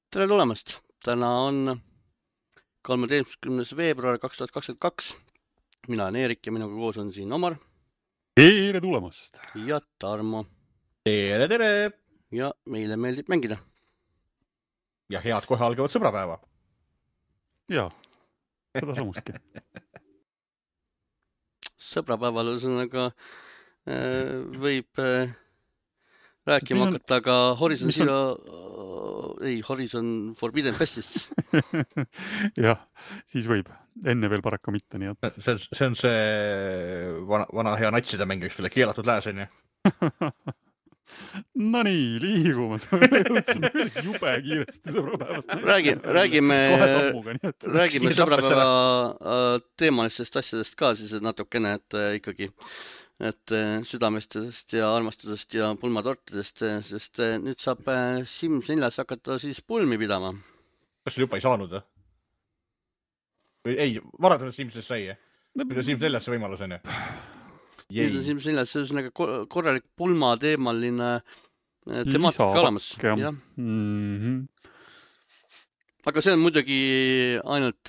Tere tulemast! Täna on 13. veebruar 2022. Mina olen Eerik ja minuga koos on siin Omar. Tere tulemast! Ja Tarmo. Tere! Ja meile meeldib mängida. Ja head kohe algavat sõbrapäeva. Jaa, seda samustki. Sõbrapäeval ühesõnaga võib rääkima hakata ka Horizon Forbidden Festist. Jah, siis võib. Enne veel paraku mitte, nii et... See on see vana hea natside mäng, üks veel keelatud lääs, on ju? No nii, liigume. Jõudsime jube kiiresti sõbrapäevast. Räägime sõbrapäeva teemalistest asjadest ka siis natukene, et ikkagi südamestest ja armastusest ja pulmatortidest, sest nüüd saab Sims 4 hakata siis pulmi pidama. Kas see juba ei saanud? Ei, varadanud Simsis sai. Nüüd on Sims 4 see võimalus, on ju? Nüüd on Sims 4 see korralik pulmateemaline temaatika olemas. Aga see on muidugi ainult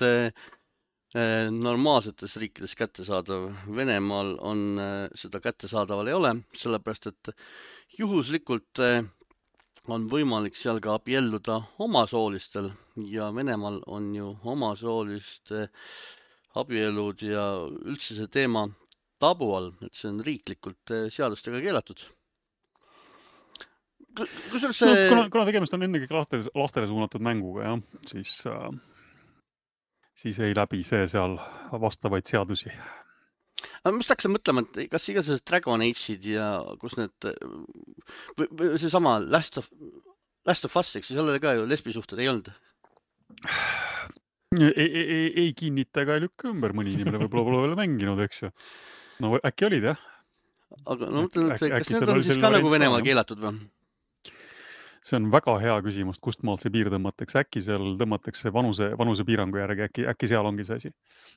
normaalsetes riikides kättesaadav. Venemaal on seda kättesaadaval ei ole, sellepärast et juhuslikult on võimalik seal ka abielluda omasoolistel ja Venemaal on ju omasooliste abielud ja üldse see teema tabu all, et see on riiklikult seadustega keelatud. Kuna tegemist on ennegi lastele suunatud mänguga, siis ei läbi see seal vastavaid seadusi. Mis hakkasin mõtlema, et kas igasugused Dragon Age'id ja kus need, või see sama Last of Us, eks seal oli ka ju lesbisuhted ei olnud? Ei kinnita ega ei lükka ümber, mõni inimene võib-olla pole veel mänginud, eks ju. No äkki olid, jah? Aga no mõtlen, et kas need on siis ka nagu Venemaal keelatud või? See on väga hea küsimus, kust maalt see piir tõmmatakse. Äkki seal tõmmatakse vanuse piirangu järgi, äkki seal ongi see asi.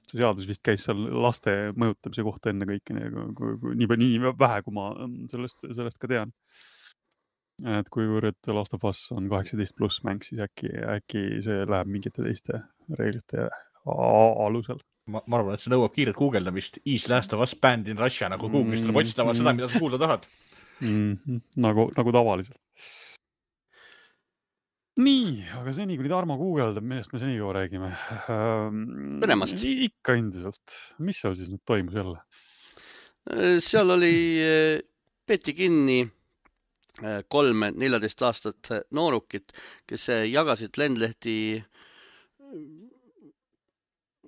See seadus vist käis seal laste mõjutamise kohta enne kõike, nii vähe, kui ma sellest ka tean. Et kuivõrd Last of Us on 18+ mäng, siis äkki see läheb mingite teiste reeglite alusel. Ma arvan, et see nõuab kiiret guugeldamist. Is Last of Us banned in Russia, nagu Google'ist tuleb otsitama seda, mida sa kuulda tahad. Nagu tavaliselt. Nii, aga seni, kui Tarmo guugeldab, millest me seni juba räägime. Venemast. Ikka endiselt. Mis seal siis nüüd toimus jälle? Seal peeti kinni 3 14 aastat noorukit, kes jagasid lendlehti,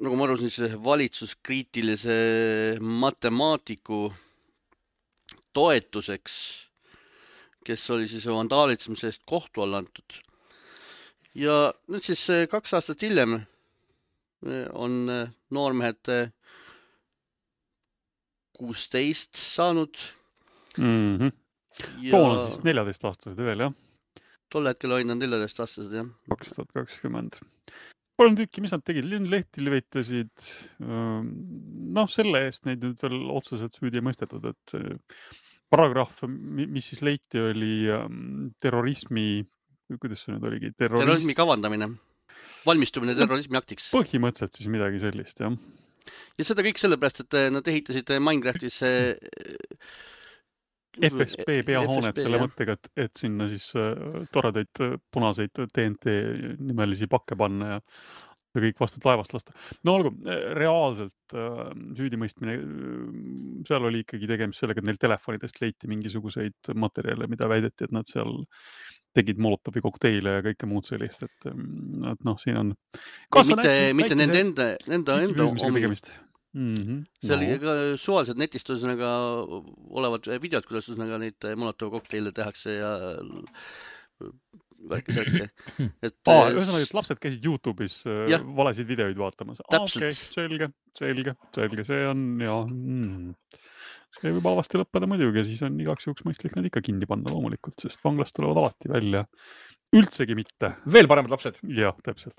nagu ma arvasin, siis valitsuskriitilise matemaatiku toetuseks, kes oli siis vandaalitsemise eest kohtu all antud. Ja nüüd siis 2 aastat hiljem on noormehed 16 saanud. Toona siis 14-aastased veel, jah? Tol hetkel olid nad 14-aastased, jah. 2020. 3 tükki, mis nad tegid? Lehti levitasid. Selle eest neid nüüd veel otseselt süüdi ei mõistetud, et paragrahv, mis siis leiti, oli terrorismi, kuidas see nüüd oligi? Terrorismi kavandamine. Valmistumine terrorismi aktiks. Põhimõtteliselt siis midagi sellist, jah. Ja seda kõik sellepärast, et nad ehitasid Minecraftis FSB peahoonet selle mõttega, et sinna siis toredaid punaseid TNT nimelisi pakke panna ja kõik vastu laevast lasta. No olgu, reaalselt süüdimõistmine, seal oli ikkagi tegemist sellega, et neil telefonidest leiti mingisuguseid materjale, mida väideti, et nad seal tegid Molotovi kokteile ja kõike muud sellist, et siin on... Mitte nende enda omi. See oli ka suvaliselt netist olevad videod, kuidas neid Molotovi kokteile tehakse ja värki-särki. Ühesõnaga, et lapsed käisid YouTube'is valesid videoid vaatamas. Täpselt. Selge. See on, see võib avasti lõppeda muidugi ja siis on igaks juhuks mõistlik nad ikka kinni panna loomulikult, sest vanglast tulevad alati välja. Üldsegi mitte. Veel paremad lapsed. Jah, täpselt.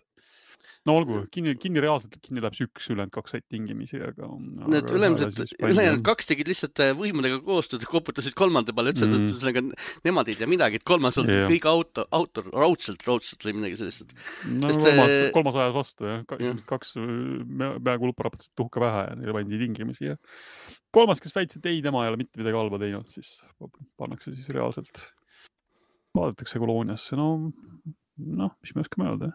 no olgu, kinni reaalselt kinni läheb see 1, ülejäänud 2 said tingimisi, aga Need ülejäänud 2 tegid lihtsalt võimudega koostööd ja koputasid kolmanda peale, ütlesid, et nemad ei tea midagi, et kolmas on kõik autor, raudselt või midagi sellist. No kolmas ajas vastu, jah. Esimesed 2 peaaegu lupparapatasid tuhka pähe ja neile pandi tingimisi. Ja kolmas, kes väitsid, et ei, tema ei ole mitte midagi halba teinud, siis pannakse siis reaalselt, vaadatakse kolooniasse. No, mis me oskame öelda?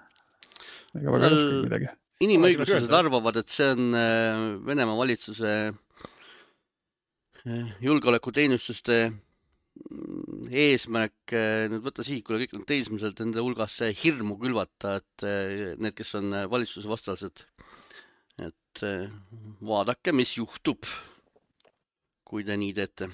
Ega väga oskagi midagi. Inimõiguslased arvavad, et see on Venemaa valitsuse julgeolekuteenistuste eesmärk nüüd võtta sihikule kõik need teismised enda hulgas hirmu külvata, et need, kes on valitsuse vastased, et vaadake, mis juhtub, kui te nii teete.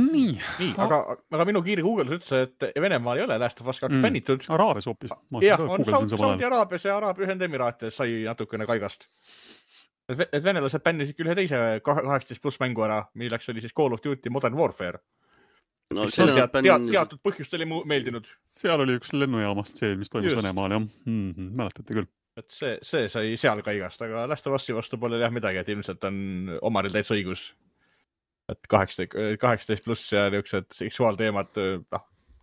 Nii, aga minu kiire Google'is ütles, et Venemaal ei ole Last of Us 2 bännitud. Araabias hoopis. Jah, on Saudi Araabias ja Araabia Ühendemiraatides sai natukene kaigast. Et venelased bännisid küll ühe teise 18+ mängu ära, milleks oli siis Call of Duty Modern Warfare. No, teatud põhjust oli meeldinud. Seal oli üks lennujaamast see, mis toimus Venemaal, jah. Mäletate küll. Et see sai seal kaigast, aga Last of Us'i vastu pole jah midagi, et ilmselt on omaril täitsa õigus. Et 18+ ja niisugused seksuaalteemad,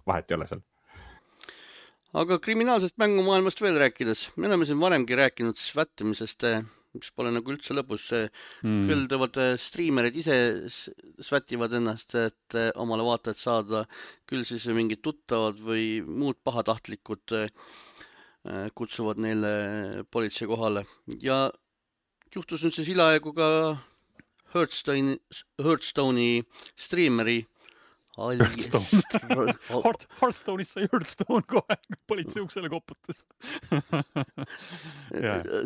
vahet ei ole seal. Aga kriminaalsest mängumaailmast veel rääkides, me oleme siin varemgi rääkinud svättimisest, mis pole nagu üldse lõpus. Küll teevad striimerid ise svätivad ennast, et omale vaatajad saada, küll siis mingid tuttavad või muud pahatahtlikud kutsuvad neile politsei kohale. Ja juhtus nüüd siis hiljaaegu ka Hearthstone'i striimeri Hearthstone'is sai Hearthstone kohe, politsei uksele koputas.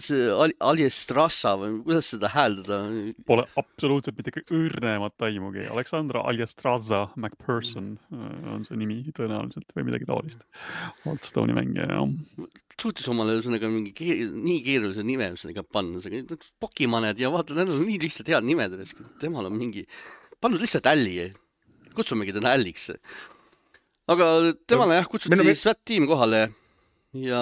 See Aljestrasa või kuidas seda hääldada? Pole absoluutselt mitte õrnemat aimugi. Aleksandra Aljestrasa McPherson on see nimi tõenäoliselt või midagi taolist. Hearthstone'i mängija, jah. Suutis omale nii keerulise nime panna. Pokimaned ja vaata, need on nii lihtsalt head nimed. Temal on mingi... Pannud lihtsalt älli. Kutsumegi täna älliks. Aga temale kutsuti SWAT-tiim kohale ja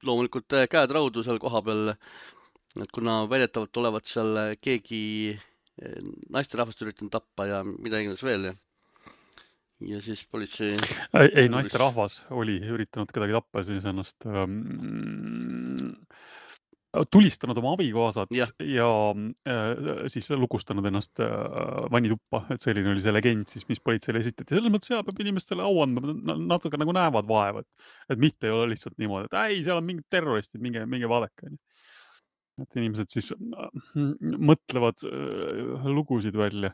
loomulikult käed raudu seal koha peal, et kuna väidetavalt olevat seal keegi naisterahvast üritanud tappa ja mida iganes veel. Ja siis politsei... Ei, naisterahvas oli üritanud kedagi tappa ja siis ennast tulistanud oma abikaasat ja siis lukustanud ennast vannituppa, et selline oli see legend siis, mis politseile esitati. Selles mõttes peab inimestele au andma, natuke nagu näevad vaevad, et mitte ei ole lihtsalt niimoodi, et ei, seal on mingid terroristid, minge vaadake. Et inimesed siis mõtlevad lugusid välja.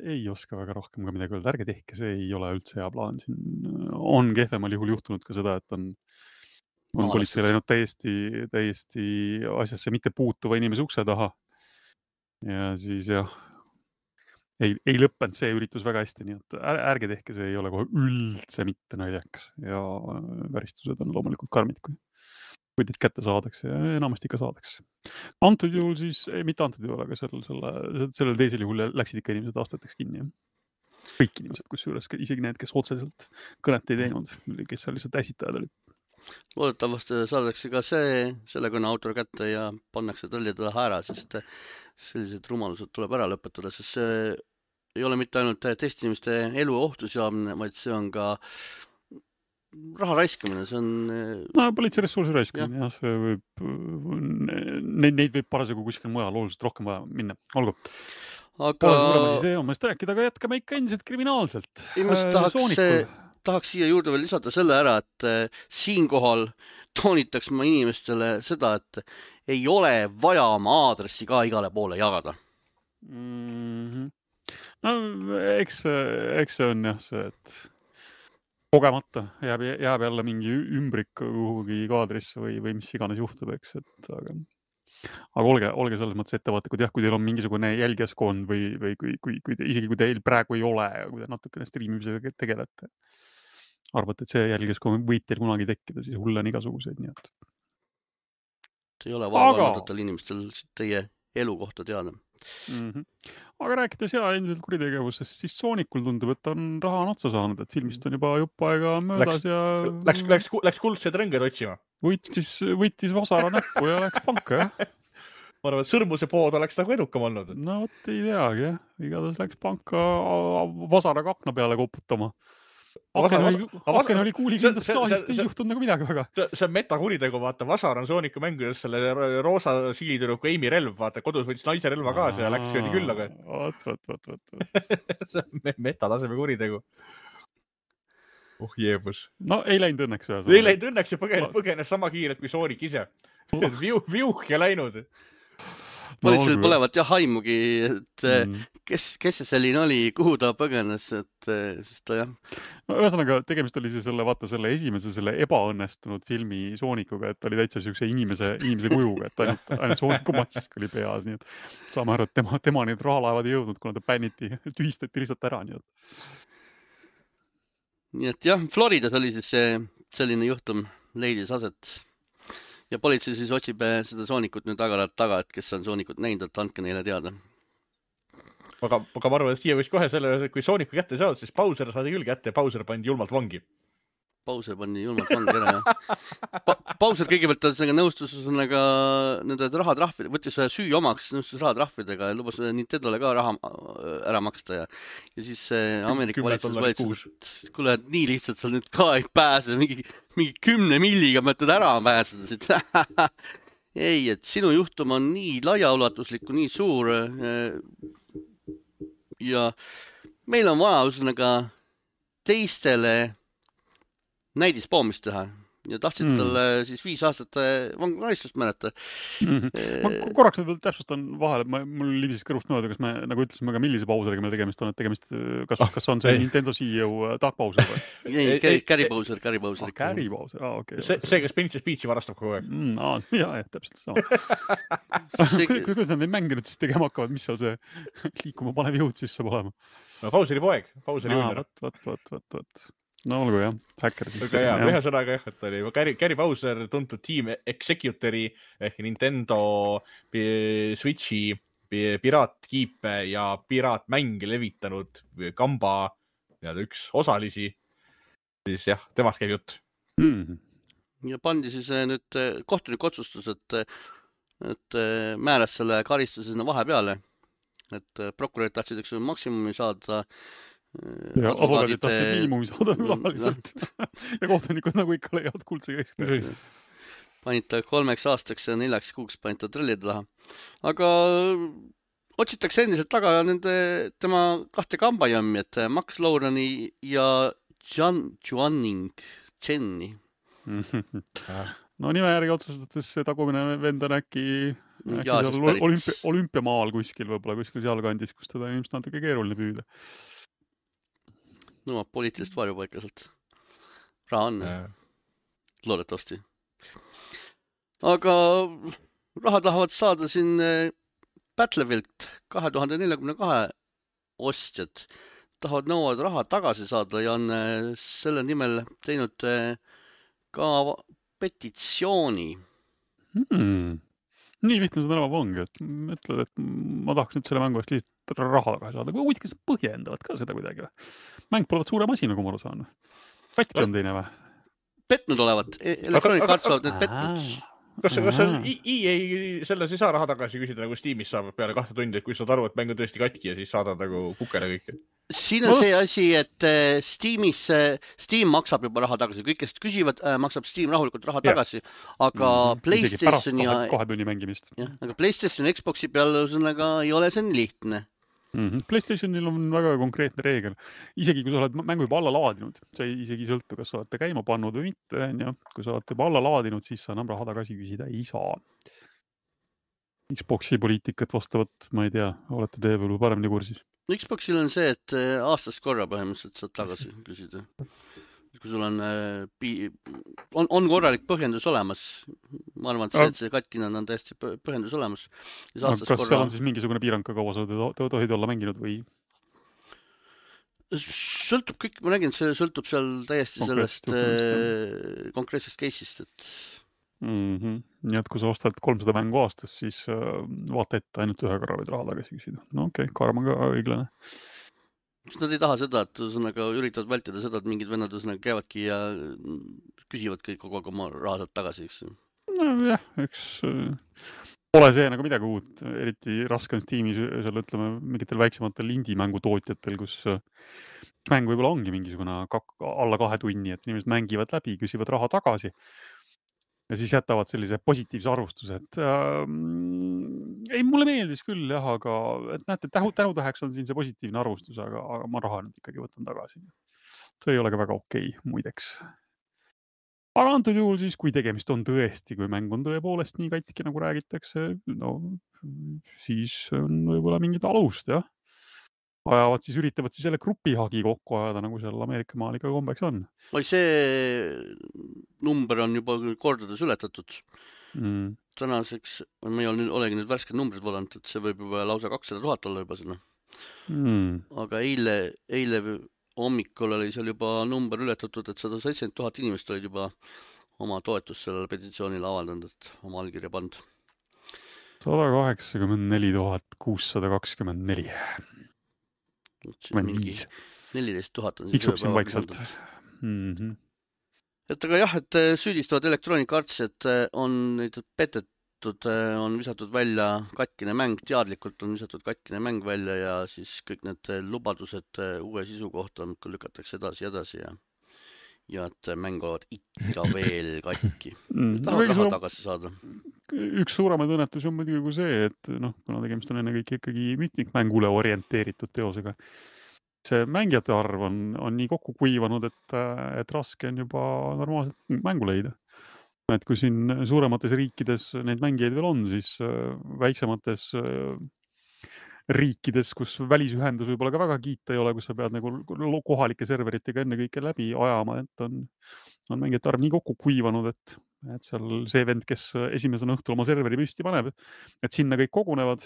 Ei oska väga rohkem ka midagi öelda, ärge tehke, see ei ole üldse hea plaan. Siin on kehvemal juhul juhtunud ka seda, et on politsei läinud täiesti asjasse mitte puutuva inimese ukse taha. Ja siis ei lõppenud see üritus väga hästi, nii et ärge tehke, see ei ole kohe üldse mitte naljakas. Ja karistused on loomulikult karmid, kui teid kätte saadakse ja enamasti ikka saadakse. Antud juhul siis, mitte antud juhul, aga sellel teisel juhul läksid ikka inimesed aastateks kinni. Kõik inimesed, kusjuures isegi need, kes otseselt kõnet ei teinud, kes seal lihtsalt äsitajad olid. Loodetavasti saadakse ka selle kõne autor kätte ja pannakse tõlje taha ära, sest sellised rumalused tuleb ära lõpetada, sest see ei ole mitte ainult teiste inimeste elu ohtu seamine, vaid see on ka raha raiskamine, see on... No, politsei ressursi raiskamine, jah, see võib... Neid võib parasjagu kuskil mujal oluliselt rohkem vaja minna, olgu. Aga... Mõist rääkida, aga jätkame ikka endiselt kriminaalselt. Tahaks siia juurde veel lisada selle ära, et siinkohal toonitaks ma inimestele seda, et ei ole vaja oma aadressi ka igale poole jagada. No, eks see on jah see, et kogemata jääb jälle mingi ümbrik kuhugi kaadrisse või mis iganes juhtub, eks, et aga olge selles mõttes ettevaatlikud, jah, kui teil on mingisugune jälgijaskond või isegi kui teil praegu ei ole, kui te natukene striimimisega tegelete. Arvate, et see jälgijaskond võib teil kunagi tekkida, siis hulle on igasuguseid, nii et. Ei ole vaja vaadatel inimestel teie elu kohta teada. Aga rääkides endiselt kuritegevusest, siis Soonikul tundub, et on raha on otsa saanud, et filmist on juba jupp aega möödas Läks kuldsed rõnged otsima. Võttis vasara näppu ja läks panka, jah. Ma arvan, et sõrmuse pood oleks nagu edukam olnud. No vot ei teagi, jah. Igatahes läks panka vasaraga akna peale koputama. Aken oli kuulikindlast klaasist, ei juhtunud nagu midagi väga. See on metakuritegu, vaata, vasar on Sooniku mängudes selle roosa siilitüdruku Amy relv, vaata, kodus võttis naise relva kaasa ja läks jõudi küllaga. See on metataseme kuritegu. Jeebus. No ei läinud õnneks ühes. Ei läinud õnneks ja põgenes sama kiirelt kui Soonik ise. Viuh ja läinud. Politseil polevat jah haimugi, et kes see selline oli, kuhu ta põgenes, et sest ta jah. No, ühesõnaga, tegemist oli selle esimese ebaõnnestunud filmi Soonikuga, et oli täitsa siukse inimese kujuga, et ainult Sooniku mask oli peas, nii et saame aru, et tema need rahalaevad ei jõudnud, kuna ta bänniti, tühistati lihtsalt ära, nii et jah, Floridas oli siis selline juhtum leidis aset. Ja politsei siis otsib seda Soonikut nüüd taga, et kes on Soonikut näinud, et andke neile teada. Aga ma arvan, et siia võiks kohe selle, kui Sooniku kätte saad, siis Bowser saadi küll kätte ja Bowser pandi julmalt vangi. Bowser pandi julmalt vangi ära, jah. Bowser kõigepealt nõustus nende rahatrahvid, võttis süü omaks, nõustus rahatrahvidega ja lubas Nintendole ka raha ära maksta ja siis Ameerika valitsus võetis, et kuule, et nii lihtsalt sa nüüd ka ei pääse, mingi 10 milliga mõtled ära pääseda siit. Ei, et sinu juhtum on nii laiaulatuslik, nii suur ja meil on vaja teistele näidispoomist teha ja tahtsid talle siis 5 aastat vanglakaristust määrata. Ma korraks veel täpsustan vahel, et mul libises kõrvust mööda, kas me nagu ütlesime ka millise Bowseriga meil tegemist on, et kas on see Nintendo CEO Doug Bowser või? Ei, Gary Bowser. Gary Bowser, okei. See, kes Princess Peachi varastab kogu aeg. Jah, täpselt sama. Kuidas nad neid mänge nüüd siis tegema hakkavad, mis seal see liikuma panev jõud siis saab olema? No Bowseri poeg, Bowseri õnner. Vot. No olgu jah, häkker siis. Ühe sõnaga jah, et oli Gary Bowser tuntud Team Executori ehk Nintendo Switchi piraatkiipe ja piraatmänge levitanud kamba üks osalisi. Siis jah, temast käib jutt. Ja pandi siis nüüd kohtunik otsustus, et määras selle karistuse sinna vahepeale, et prokurörid tahtsid maksimumi saada. Ja advokaadid tahtsid miinimumi saada tavaliselt. Ja kohtunikud nagu ikka leiavad kuldse keskne. Panid ta 3 aastaks ja 4 kuuks panid ta trellide laha. Aga otsitakse endiselt taga tema 2 kambajammi, et Max Lowrani ja Jenny. No nime järgi otsustades tagumine vend on äkki olümpiamaal kuskil sealkandis, kus teda ilmselt natuke keeruline püüda. Nõuab poliitilist varjupaika sealt. Raha on. Loodetavasti. Aga raha tahavad saada siin Battlefield 2042 ostjad. Nõuavad raha tagasi saada ja on selle nimel teinud ka petitsiooni. Nii lihtne seda enam ongi, et ütled, et ma tahaks nüüd selle mängu eest lihtsalt raha tagasi saada. Kui kas põhjendavad ka seda kuidagi? Mäng pole suurem asi, nagu ma aru saan. Katki on teine või? Petnud olevat. Electronic Arts olevat need petnud. Kas EA selles ei saa raha tagasi küsida, nagu Steamis saab peale 2 tundi, et kui saad aru, et mäng on tõesti katki ja siis saadad nagu kukele kõike? Siin on see asi, et Steam maksab juba raha tagasi. Kõik, kes küsivad, maksab Steam rahulikult raha tagasi. Aga PlayStation ja 2 tunni mängimist. Aga PlayStation ja Xboxi peal ei ole see nii lihtne. PlayStationil on väga konkreetne reegel. Isegi kui sa oled mängu juba alla laadinud, see isegi sõltu, kas sa olete käima pannud või mitte. Kui sa olete juba alla laadinud, siis sa enam raha tagasi küsida ei saa. Xboxi poliitikat vastavat, ma ei tea, olete te veel paremini kursis? Xboxil on see, et aastast korra põhimõtteliselt saad tagasi küsida. Kui sul on korralik põhjendus olemas, ma arvan, et see katkina on täiesti põhjendus olemas. Kas seal on siis mingisugune piirang, kaua sa tohid olla mänginud või? Sõltub kõik, ma nägin, see sõltub seal täiesti sellest konkreetsest case'ist, et Nii et kui sa ostad 300 mängu aastas, siis vaata ette ainult ühe korra võid raha tagasi küsida. No okei, karm on ka õiglane. Kas nad ei taha seda, et ühesõnaga üritavad vältida seda, et mingid vennad ühesõnaga käivadki ja küsivadki kogu aeg oma raha sealt tagasi, eks? Nojah, eks pole see nagu midagi uut, eriti raske on Steamis seal ütleme mingitel väiksematel indie-mängu tootjatel, kus mäng võib-olla ongi mingisugune alla 2 tunni, et inimesed mängivad läbi, küsivad raha tagasi ja siis jätavad sellise positiivse arvustuse, et ei, mulle meeldis küll jah, aga et näete, tänutäheks on siin see positiivne arvustus, aga ma raha nüüd ikkagi võtan tagasi. See ei ole ka väga okei, muideks. Aga antud juhul siis, kui tegemist on tõesti, kui mäng on tõepoolest nii katki, nagu räägitakse, no siis on võib-olla mingid alust, jah. Üritavad siis selle grupihagi kokku ajada, nagu seal Ameerika maal ikka kombeks on. Oi, see number on juba kordades ületatud. Tänaseks, ma ei olegi nüüd värsked numbrid valanud, et see võib juba lausa 200 000 olla juba sinna. Aga eile hommikul oli seal juba number ületatud, et 170 000 inimest olid juba oma toetust sellele petitsioonile avaldanud, et oma allkirja pandud. 184 624. 14 000 on tiksub siin vaikselt. Et aga jah, et süüdistavad Electronic Arts, et on neid petetud, on visatud välja katkine mäng, teadlikult on visatud katkine mäng välja ja siis kõik need lubadused uue sisu kohta lükatakse edasi ja et mäng olevat ikka veel katki. Tahavad raha tagasi saada. Üks suuremaid õnnetusi on muidugi kui see, et kuna tegemist on ennekõike ikkagi mitmikmängule orienteeritud teosega, see mängijate arv on nii kokku kuivanud, et raske on juba normaalselt mängu leida. Et kui siin suuremates riikides neid mängijaid veel on, siis väiksemates riikides, kus välisühendus võib-olla ka väga kiita ei ole, kus sa pead nagu kohalike serveritega ennekõike läbi ajama, et on mängijate arv nii kokku kuivanud, et seal see vend, kes esimesena õhtul oma serveri püsti paneb, et sinna kõik kogunevad,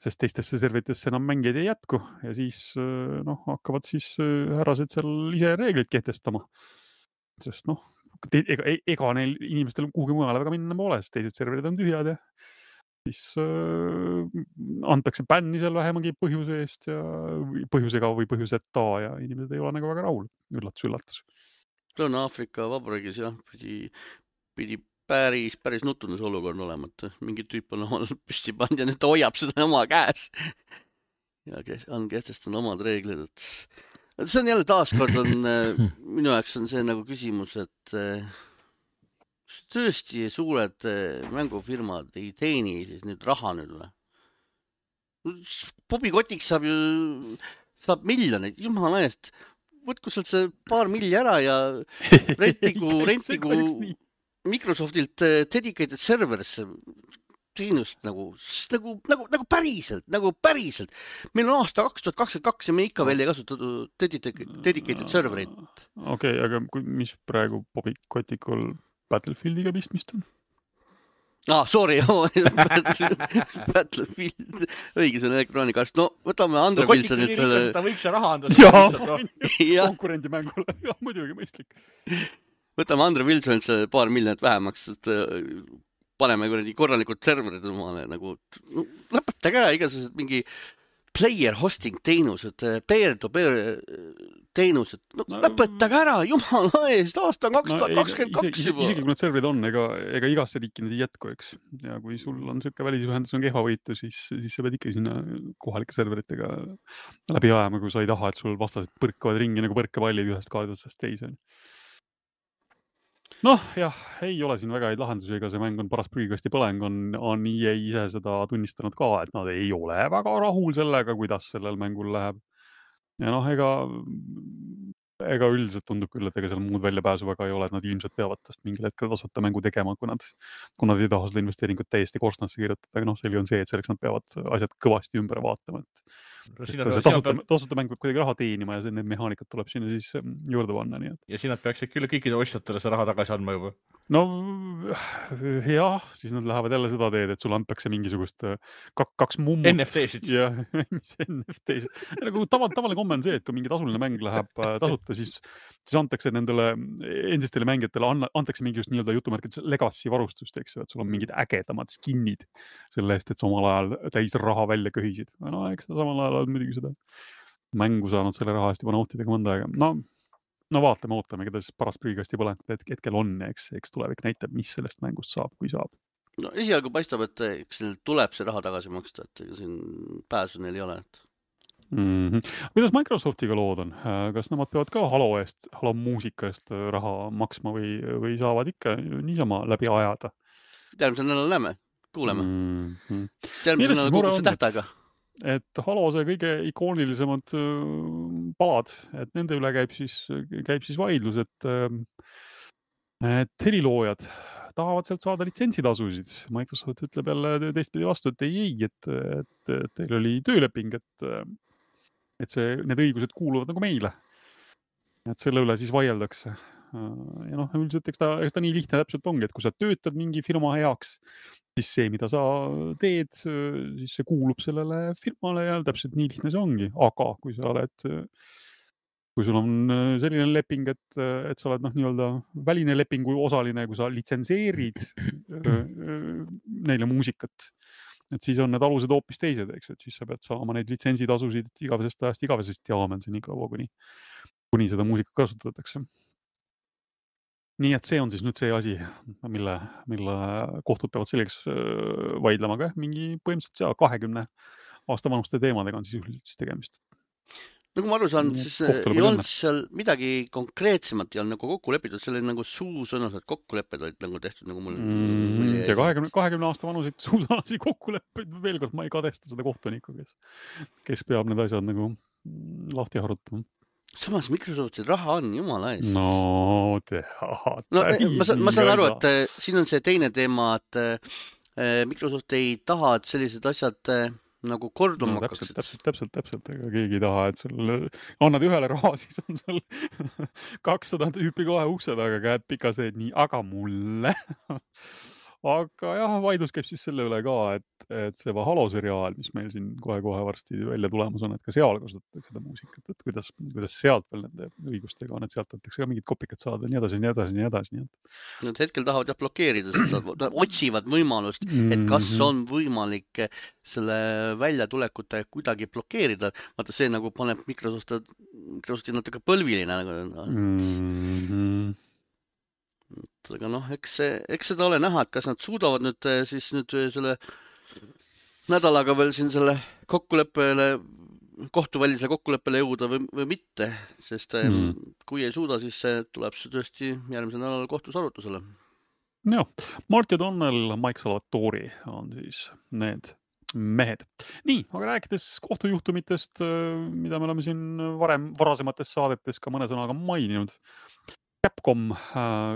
sest teistesse serveritesse enam mängijaid ei jätku ja siis hakkavad siis härrased seal ise reeglid kehtestama. Sest ega neil inimestel kuhugi mujale väga minna pole, sest teised serverid on tühjad ja siis antakse bänni seal vähemagi põhjuse eest ja põhjusega või põhjuseta ja inimesed ei ole nagu väga rahul. Üllatus. Lõuna-Aafrika Vabariigis jah, pidi päris nutunes olukord olema, et mingi tüüp on omal püsti pannud ja nüüd ta hoiab seda oma käes ja on kehtestanud omad reeglid, et see on jälle taaskord minu jaoks on see nagu küsimus, et tõesti suured mängufirmad ei teeni siis nüüd raha nüüd või? Bobby Kotiks saab miljoneid, jumala eest. Võtku sealt see paar milli ära ja rentigu Microsoftilt dedicated serverisse teenust nagu päriselt. Meil on aasta 2022 ja me ikka veel ei kasutatud dedicated serverit. Okei, aga mis praegu Bobby Kotikul Battlefieldiga pistmist on? Sorry, Battlefield, õige, see on Electronic Arts. No, võtame Andre Wilsonilt selle... Ta võiks see raha anda. Konkurendimängule, muidugi mõistlik. Võtame Andre Wilsonilt see paar miljonit vähemaks, et paneme korralikult serverid omale nagu... lõpetage ära igasugused mingi player hosting teenused, peer-to-peer teenused. Lõpetage ära, jumala eest, aasta 2022 juba. Isegi kui need serverid on, ega igasse riiki need ei jätku, eks. Ja kui sul on selline välisühendus on kehva võitu, siis sa pead ikka sinna kohalike serveritega läbi ajama, kui sa ei taha, et sul vastased põrkavad ringi nagu põrkepallid ühest kaarditasest teise. Jah, ei ole siin väga häid lahendusi, ega see mäng on paras prügikasti põleng, on EA ise seda tunnistanud ka, et nad ei ole väga rahul sellega, kuidas sellel mängul läheb. Ja ega üldiselt tundub küll, et ega seal muud väljapääsu väga ei ole, et nad ilmselt peavad tast mingil hetkel tasuta mängu tegema, kui nad ei taha seda investeeringut täiesti korstnasse kirjutada, aga selge on see, et selleks nad peavad asjad kõvasti ümber vaatama. Tasuta mäng peab kuidagi raha teenima ja need mehaanikat tuleb sinna siis juurde panna. Ja siin nad peaksid küll kõikide ostjatele see raha tagasi andma juba. no jah, siis nad lähevad jälle seda teed, et sulle antakse mingisugust kaks mummut. NFT-sid. Ja mis NFT-sid. Nagu tavaline komme on see, et kui mingi tasuline mäng läheb tasuta, siis antakse nendele endistele mängijatele antakse mingi just nii-öelda jutumärkides legacy varustust, eks ju, et sul on mingid ägedamad skinnid selle eest, et sa omal ajal täis raha välja köhisid. No eks sa samal ajal oled muidugi seda mängu saanud selle raha eest juba nautida ka mõnda aega. No ootame, keda siis paras prügikasti pole, et hetkel on ja eks tulevik näitab, mis sellest mängust saab, kui saab. No esialgu paistab, et eks neil tuleb see raha tagasi maksta, et siin pääsu neil ei ole. Kuidas Microsoftiga lood on? Kas nemad peavad ka Halo muusika eest raha maksma või saavad ikka niisama läbi ajada? Järgmisel nädalal näeme, kuuleme. Sest järgmisel nädalal kukub see tähtaega. Et Halo see kõige ikoonilisemad palad, et nende üle käib siis vaidlus, et heliloojad tahavad sealt saada litsentsitasusid. Microsoft ütleb jälle teistpidi vastu, et ei, et teil oli tööleping, et need õigused kuuluvad nagu meile. Et selle üle siis vaieldakse. Ja noh, üldiselt eks ta nii lihtne täpselt ongi, et kui sa töötad mingi firma heaks, siis see, mida sa teed, siis see kuulub sellele firmale ja täpselt nii lihtne see ongi. Aga kui sul on selline leping, et sa oled nii-öelda väline lepingu osaline, kui sa litsenseerid neile muusikat, et siis on need alused hoopis teised, eks, et siis sa pead saama neid litsentsitasusid igavesest ajast igavesest jaamen see nii kaua, kuni seda muusikat kasutatakse. Nii et see on siis nüüd see asi, mille kohtud peavad selgeks vaidlema ka. Mingi põhimõtteliselt 20 aasta vanuste teemadega on siis üldiselt tegemist. Nagu ma aru saan, siis ei olnud seal midagi konkreetsemat ja on nagu kokku lepitud, selle nagu suusõnaselt kokkulepped olid nagu tehtud nagu mul. Ja 20 aasta vanuseid suusõnasid kokkuleppeid, veel kord ma ei kadesta seda kohtunikku, kes peab need asjad nagu lahti harutama. Samas Microsoftil raha on, jumala eest. No tead. No, ma saan aru, et siin on see teine teema, et Microsoft ei taha, et sellised asjad nagu korduma hakkaksid. Täpselt. Ega keegi ei taha, et sul annad ühele raha, siis on sul 200 tüüpi kohe ukse taga käed pika see, nii, aga mulle. Aga jah, vaidlus käib siis selle üle ka, et see Halo seriaal, mis meil siin kohe varsti välja tulemas on, et ka seal kasutatakse seda muusikat, et kuidas sealt veel nende õigustega on, et sealt võtakse ka mingid kopikat saada, nii edasi. Nad hetkel tahavad blokeerida seda, otsivad võimalust, et kas on võimalik selle väljatulekute kuidagi blokeerida. Vaata, see nagu paneb Microsofti natuke põlviline. Aga noh, eks seda ole näha, et kas nad suudavad nüüd selle nädalaga veel siin selle kohtuvälisele kokkuleppele jõuda või mitte, sest kui ei suuda, siis tuleb see tõesti järgmisel nädalal kohtus arutusele. Jah, Marty O'Donnell, Mike Salvatori on siis need mehed. Nii, aga rääkides kohtujuhtumitest, mida me oleme siin varasemates saadetes ka mõne sõnaga maininud, Capcom,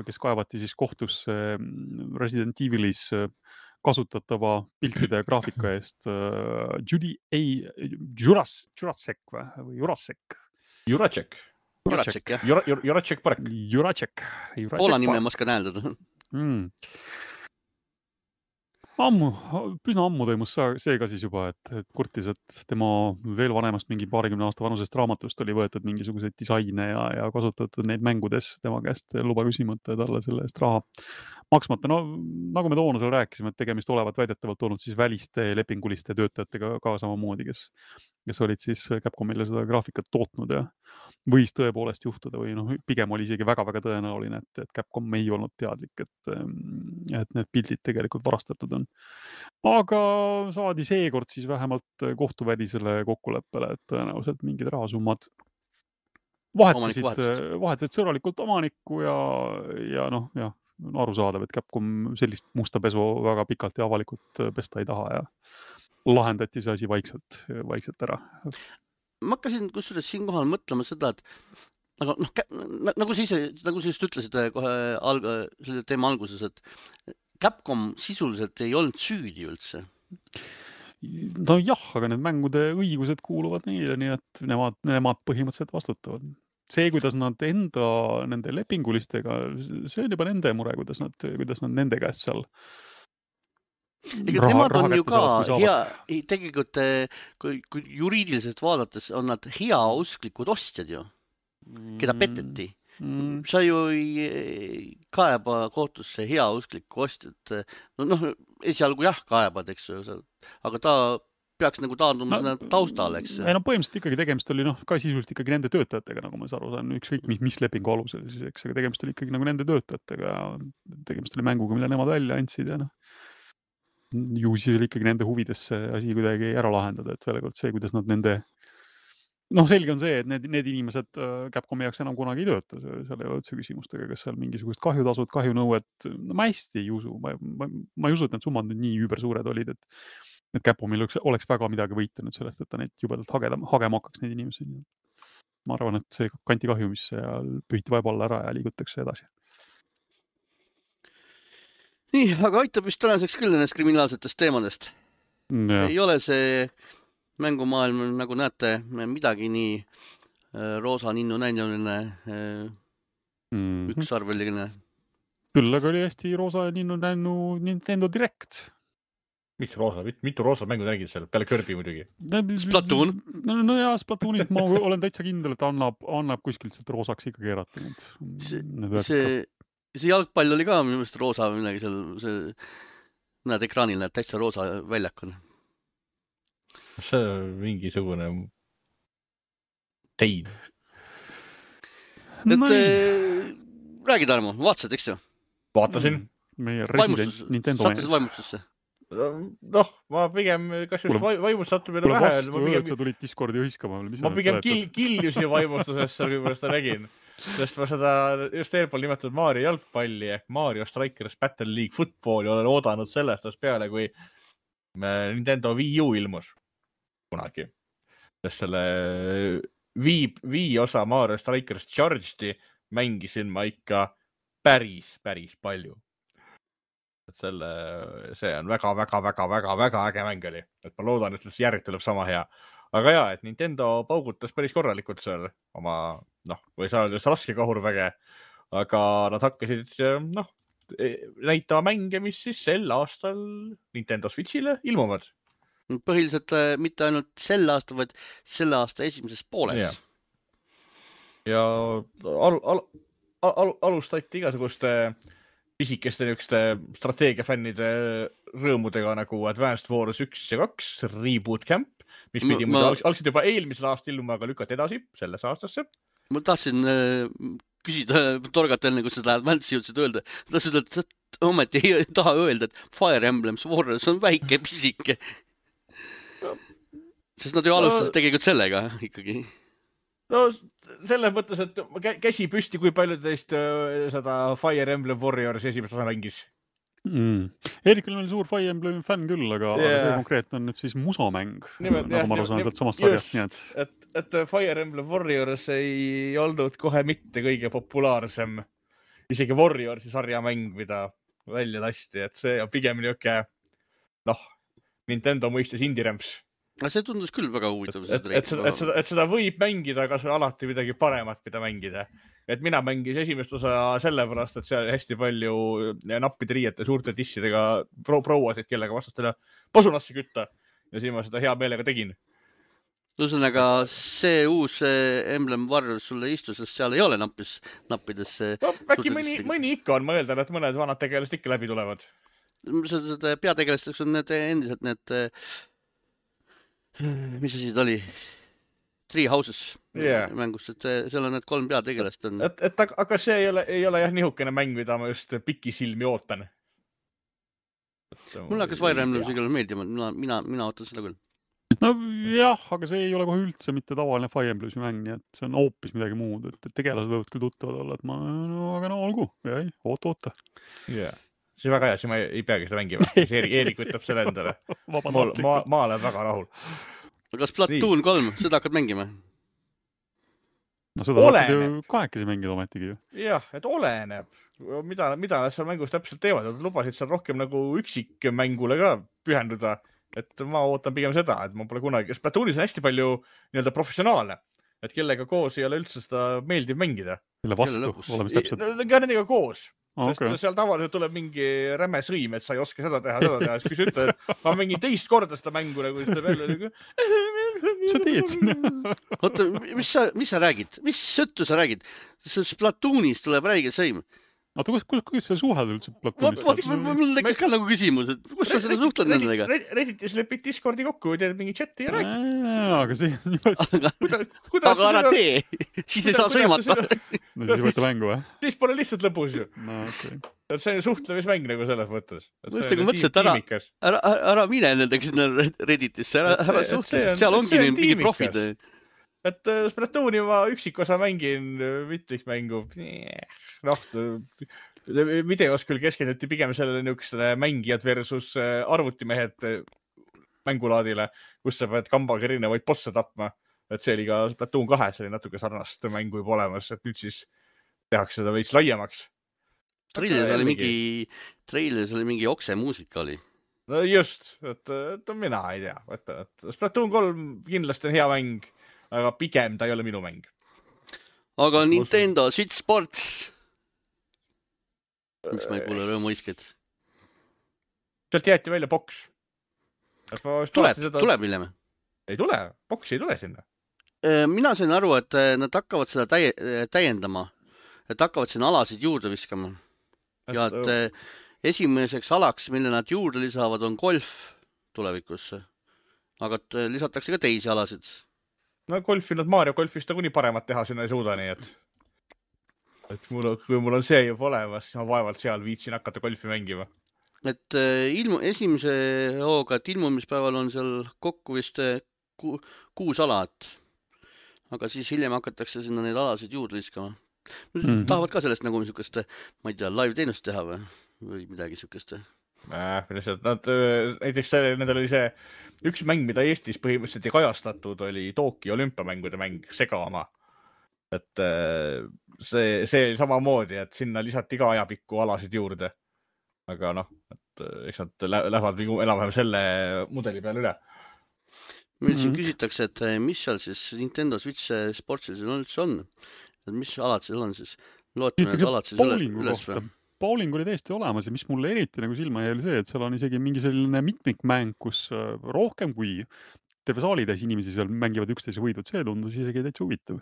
kes kaevati siis kohtusse Resident Evilis kasutatava piltide ja graafika eest Jurasek või Jurasek? Jurasek parek. Jurasek. Poola nime ma oskan hääldada. Üsna ammu toimus see ka siis juba, et kurtis, et tema veel vanemast mingi 20 aasta vanusest raamatust oli võetud mingisuguseid disaine ja kasutatud neid mängudes tema käest luba küsimata ja talle selle eest raha maksmata. No nagu me toona seal rääkisime, et tegemist olevat väidetavalt olnud siis väliste lepinguliste töötajatega ka samamoodi, kes olid siis Capcomile seda graafikat tootnud ja võis tõepoolest juhtuda või pigem oli isegi väga-väga tõenäoline, et Capcom ei olnud teadlik, et need pildid tegelikult varastatud on. Aga saadi seekord siis vähemalt kohtuvälisele kokkuleppele, et tõenäoliselt mingid rahasummad vahetasid sõbralikult omanikku ja arusaadav, et Capcom sellist musta pesu väga pikalt ja avalikult pesta ei taha ja lahendati see asi vaikselt ära. Ma hakkasin kusjuures siinkohal mõtlema seda, et nagu sa just ütlesid kohe selle teema alguses, et Capcom sisuliselt ei olnud süüdi üldse. No jah, aga need mängude õigused kuuluvad neile, nii et nemad põhimõtteliselt vastutavad. see, kuidas nad nende lepingulistega, see on juba nende mure, kuidas nad nende käest seal Ega nemad on ju ka hea, tegelikult kui juriidiliselt vaadates on nad heausklikud ostjad ju, keda peteti. Sa ju ei kaeba kohtusse heausklikku ostjat. Esialgu jah, kaebad, eks ju, aga ta peaks nagu taanduma sinna taustale, eks. Ei, põhimõtteliselt ikkagi tegemist oli ka sisuliselt ikkagi nende töötajatega, nagu ma aru saan, ükskõik mis lepingu alusel siis, eks, aga tegemist oli ikkagi nagu nende töötajatega, tegemist oli mänguga, mille nemad välja andsid ja ju siis oli ikkagi nende huvides see asi kuidagi ära lahendada, et veel kord see, kuidas nad nende selge on see, et need inimesed Capcomi jaoks enam kunagi ei tööta, seal ei ole üldse küsimustega, kas seal mingisugust kahjutasud, kahjunõuet, ma hästi ei usu, ma ei usu, et need summad nüüd nii üübersuured olid, et Capcomil oleks väga midagi võita nüüd sellest, et ta neid jubedalt hagema hakkaks neid inimesi. Ma arvan, et see kanti kahjumisse ja pühiti vaeva alla ära ja liigutakse edasi. Nii, aga aitab vist tänaseks küll nendest kriminaalsetest teemadest. Ja. Ei ole see mängumaailm, nagu näete, midagi nii roosa ninnu näinuline, üksarveline. Küll aga oli hästi roosa ninnu näinu Nintendo Direct. Mis roosa? Mitu roosa mängu nägid seal? Peale Kirby muidugi. Splatoon. No ja Splatoonit ma olen täitsa kindel, et annab kuskilt sealt roosaks ikka keerata. See jalgpall oli ka minu meelest roosa või midagi seal, näed ekraanil, näed täitsa roosa väljak on. See on mingisugune tein. Räägi, Tarmo, vaatasid, eks ju? Vaatasin. Meie resident Nintendo mees. Sattusid vaimustusse? Ma pigem, kas just vaimust sattumine vähe. Kuule vastu, sa tulid Discordi hõiskama. Ma pigem kiljusin vaimustusesse, kui ma seda nägin. Sest ma seda just eelpool nimetatud Mario jalgpalli ehk Mario Strikers Battle League Footballi olen oodanud sellest peale, kui Nintendo Wii U ilmus kunagi. Sest selle Wii osa Mario Strikers Charged'i mängisin ma ikka päris palju. Et see on väga äge mäng oli. Et ma loodan, et järg tuleb sama hea. Aga jaa, et Nintendo paugutas päris korralikult seal oma, või saa öelda raske kahurväge, aga nad hakkasid näitama mänge, mis siis sel aastal Nintendo Switch'ile ilmuvad. Põhiliselt mitte ainult sel aasta, vaid selle aasta esimeses pooles. Ja alustati igasuguste pisikeste strateegiafännide rõõmudega nagu Advanced Wars 1 ja 2, Reboot Camp, mis pidi algselt juba eelmisel aastal ilmuma, aga lükati edasi selles aastasse. Ma tahtsin küsida torgatel, nagu seda Advanced jõudsid öelda. Tahtsin öelda, et ometi ei taha öelda, et Fire Emblems Warriors on väike pisike. Sest nad ju alustasid tegelikult sellega ikkagi. Selles mõttes, et käsi püsti, kui palju teist seda Fire Emblem Warriors esimest osa mängis. Eerikul on suur Fire Emblem fänn küll, aga see konkreetne on nüüd siis musamäng, nagu ma aru saan sealt samast sarjast. Nii et Fire Emblem Warriors ei olnud kohe mitte kõige populaarsem, isegi Warriorsi sarjamäng, mida välja lasti, et see on pigem niuke, Nintendo mõistes indie-rämps. See tundus küll väga huvitav. Et seda võib mängida, aga see on alati midagi paremat, mida mängida. Et mina mängis esimest osa sellepärast, et seal hästi palju nappide riiete suurte tissidega prouasid, kellega vastastele pasunasse kütta. Ja siis ma seda hea meelega tegin. Ühesõnaga, see uus Emblem Warriors sulle istus, sest seal ei ole nappides. Äkki mõni ikka on, ma eeldan, et mõned vanad tegelased ikka läbi tulevad. Peategelasteks on need endiselt need mis asi ta oli? Three Houses mängust, et seal on need 3 peategelast. Aga see ei ole jah nihukene mäng, mida ma just pikisilmi ootan. Mulle hakkas Fire Emblem sigal meeldima, mina ootan seda küll. Jah, aga see ei ole kohe üldse mitte tavaline Fire Emblemi mäng, nii et see on hoopis midagi muud, et tegelased võivad küll tuttavad olla, et aga olgu, oota. See on väga hea, siis ma ei peagi seda mängima. Eerik võtab selle endale. Ma olen väga rahul. Aga Splatoon 3, seda hakkad mängima? Seda hakkad ju kahekesi mängida ometigi ju. Jah, et oleneb. Mida nad seal mängus täpselt teevad. Nad lubasid seal rohkem nagu üksikmängule ka pühenduda. Et ma ootan pigem seda, et ma pole kunagi... Splatoonis on hästi palju professionaale. et kellega koos ei ole üldse seda meeldiv mängida. Kelle vastu, oleme täpselt. Ka nendega koos. Okay. Seal tavaliselt tuleb mingi räme sõim, et sa ei oska seda teha. Siis kui sa ütled, et ma mängin teist korda seda mängu, nagu siis tuleb jälle nagu... Sa teed sinna. Oota, mis sa räägid? Mis sõttu sa räägid? Splatoonis tuleb räige sõim. Oota, kuidas sa suhed üldse Platoonis? Mul tekkis ka nagu küsimus, et kus sa seda suhtled nendega? Redditis lepid Discordi kokku, teed mingi chati ja räägid. Aga see on juba... Aga ära tee, siis ei saa sõimata. No siis võtta mängu, või? Siis pole lihtsalt lõpus ju. No, okay. See on suhtlemismäng nagu selles mõttes. Mõtlesin, et ära mine nendega sinna Redditisse, ära suhtle, sest seal ongi mingi profid. Et Splatooni ma üksikosa mängin mitmikmängu. Noh, videos küll keskenduti pigem sellele niisugusele mängijad versus arvutimehed mängulaadile, kus sa pead kambaga erinevaid bosse tapma. Et see oli ka Splatoon 2, see oli natuke sarnast mängu juba olemas, et nüüd siis tehakse seda veits laiemaks. Treilis oli mingi oksemuusika oli. No just, et mina ei tea. Splatoon 3 kindlasti on hea mäng, aga pigem ta ei ole minu mäng. Aga Nintendo Switch Sports. Miks ma ei kuule rõõmuisked? Sealt jäeti välja boks. Tuleb hiljem? Ei tule, boks ei tule sinna. Mina sain aru, et nad hakkavad seda täiendama. Et hakkavad sinna alasid juurde viskama. Ja et esimeseks alaks, mille nad juurde lisavad, on golf tulevikus. Aga lisatakse ka teisi alasid. No golfi, nad Mario golfist on kuni paremat teha, sinna ei suuda nii, et kui mul on see juba olemas, siis ma vaevalt seal viitsin hakata golfi mängima. Et esimese hooga, et ilmumispäeval on seal kokku vist 6 alat. Aga siis hiljem hakatakse sinna neid alasid juurde liskama. Tahavad ka sellest nagu niisugust, ma ei tea, live teenust teha või midagi niisugust? Näiteks nendel oli see üks mäng, mida Eestis põhimõtteliselt ei kajastatud, oli Tokyo olümpiamängude mäng, Sega oma. Et see samamoodi, et sinna lisati ka ajapikku alasid juurde. Aga noh, et eks nad lähevad enam-vähem selle mudeli peale üle. Meil siin küsitakse, et mis seal siis Nintendo Switch Sportsil üldse on? Mis alad seal on siis? Lootame need alad siis üles või? Bowling oli täiesti olemas ja mis mulle eriti nagu silma jäi oli see, et seal on isegi mingi selline mitmikmäng, kus rohkem kui terve saali täis inimesi seal mängivad üksteise võidud, see tundus isegi täitsa huvitav.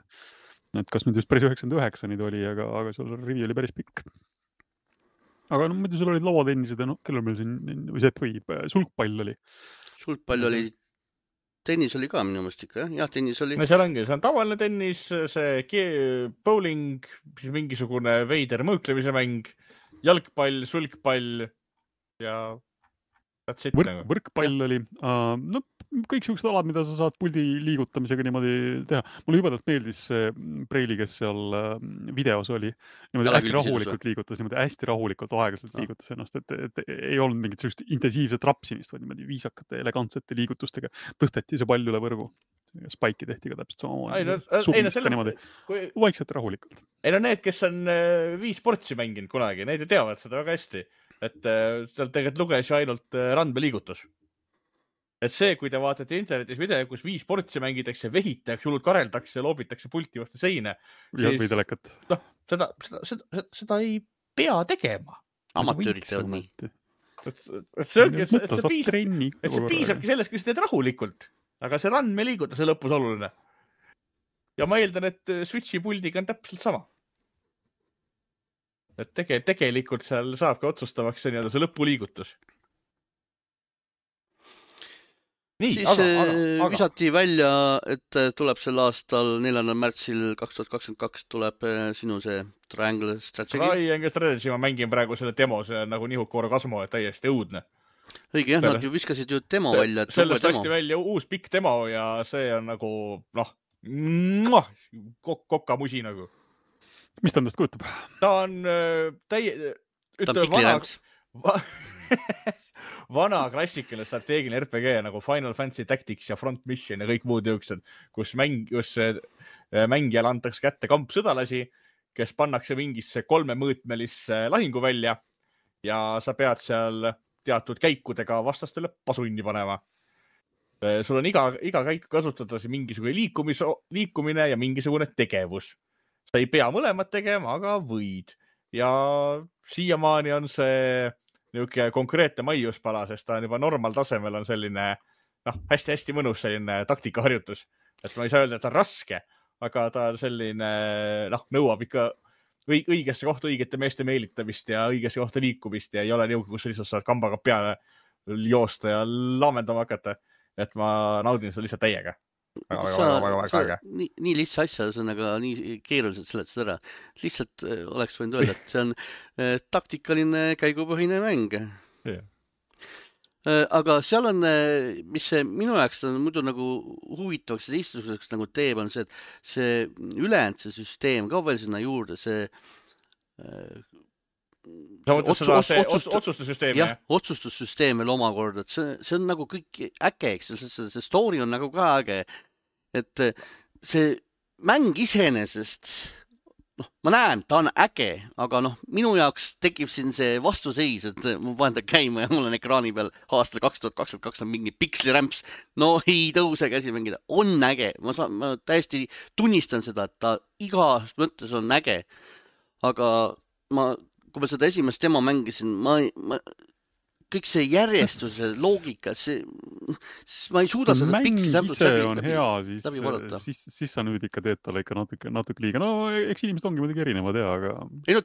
Et kas nüüd just päris 99 nüüd oli, aga seal rivi oli päris pikk. Aga no muidu seal olid lauatennised ja no, kellel meil siin sulgpall oli. Sulgpall oli, tennis oli ka minu mõist ikka, jah, tennis oli. No seal ongi, see on tavaline tennis, see bowling, mingisugune veider mõõklemise mäng, jalgpall, sulgpall ja võrkpall oli. No, kõik siuksed alad, mida sa saad puldi liigutamisega niimoodi teha. Mulle jubedalt meeldis see Preili, kes seal videos oli. Niimoodi hästi rahulikult liigutas, niimoodi hästi rahulikult aeglaselt liigutas ennast, et ei olnud mingit sellist intensiivset rapsimist, vaid niimoodi viisakate, elegantsete liigutustega tõsteti see pall üle võrgu. Spaiki tehti ka täpselt samamoodi. Sugumist ka niimoodi vaikselt rahulikult. Ei no need, kes on Wii-sportsi mänginud kunagi, need ju teavad seda väga hästi. Et sealt tegelikult luges ju ainult randmeliigutus. Et see, kui te vaatate internetis video, kus Wii-sportsi mängitakse, vehitakse, hullult kareldakse, loobitakse pulti vastu seine. Või telekat. No, seda ei pea tegema. Amatöörid teevad nii. See piisabki sellest, kui sa teed rahulikult. Aga see randmeliigutus on lõpus oluline. Ja ma eeldan, et Switchi puldiga on täpselt sama. Et tegelikult seal saabki otsustavaks see lõpuliigutus. Nii, siis visati välja, et tuleb sel aastal 4. märtsil 2022 tuleb sinu see Triangle Strategy. Triangle Strategy, ma mängin praegu selle demo, see on nagu Nihukoro Kasmo, et täiesti õudne. Õige, jah, nad ju viskasid ju demo välja. Sellest hästi välja uus pikk demo ja see on nagu, kokkamusi nagu. Mis ta endast kujutab? Ta on vana klassikaline strateegiline RPG nagu Final Fantasy Tactics ja Front Mission ja kõik muud jõuksed, kus mängijale antakse kätte kampsõdalasi, kes pannakse mingisse 3-mõõtmelisse lahinguvälja ja sa pead seal teatud käikudega vastastele pasunni panema. sul on iga käiku kasutada mingisugune liikumine ja mingisugune tegevus. Sa ei pea mõlemad tegema, aga võid. Ja siiamaani on see niisugune konkreetne maiuspala, sest ta on juba normaaltasemel on selline hästi-hästi mõnus selline taktikaharjutus. Et ma ei saa öelda, et ta on raske, aga ta on selline, nõuab ikka õigesse kohta õigete meeste meelitamist ja õigesse kohta liikumist ja ei ole niisugune, kus lihtsalt saad kambaga peale joosta ja laamendama hakata. Et ma naudin seda lihtsalt täiega. Väga. Nii lihtsa asja, see on aga nii keeruliselt seletad ära. Lihtsalt oleks võinud öelda, et see on taktikaline käigupõhine mäng. Yeah. Aga seal on, mis see minu jaoks on muidu nagu huvitavaks ja teistuseks nagu teeb, on see, et see ülejäänud see süsteem ka veel sinna juurde, see sa mõtled seda otsustussüsteemi? Jah, otsustussüsteem veel omakorda, et see on nagu kõik äge, eks see story on nagu ka äge, et see mäng iseenesest, ma näen, ta on äge, aga minu jaoks tekib siin see vastuseis, et ma panen ta käima ja mul on ekraani peal aastal 2022 on mingi pikslirämps, ei tõuse käsi mängida, on äge, ma täiesti tunnistan seda, et ta igas mõttes on äge, aga kui ma seda esimest demo mängisin, kõik see järjestuse loogika, ma ei suuda seda mäng ise on hea, siis sa nüüd ikka teed talle ikka natuke liiga. Eks inimesed ongi muidugi erinevad, aga...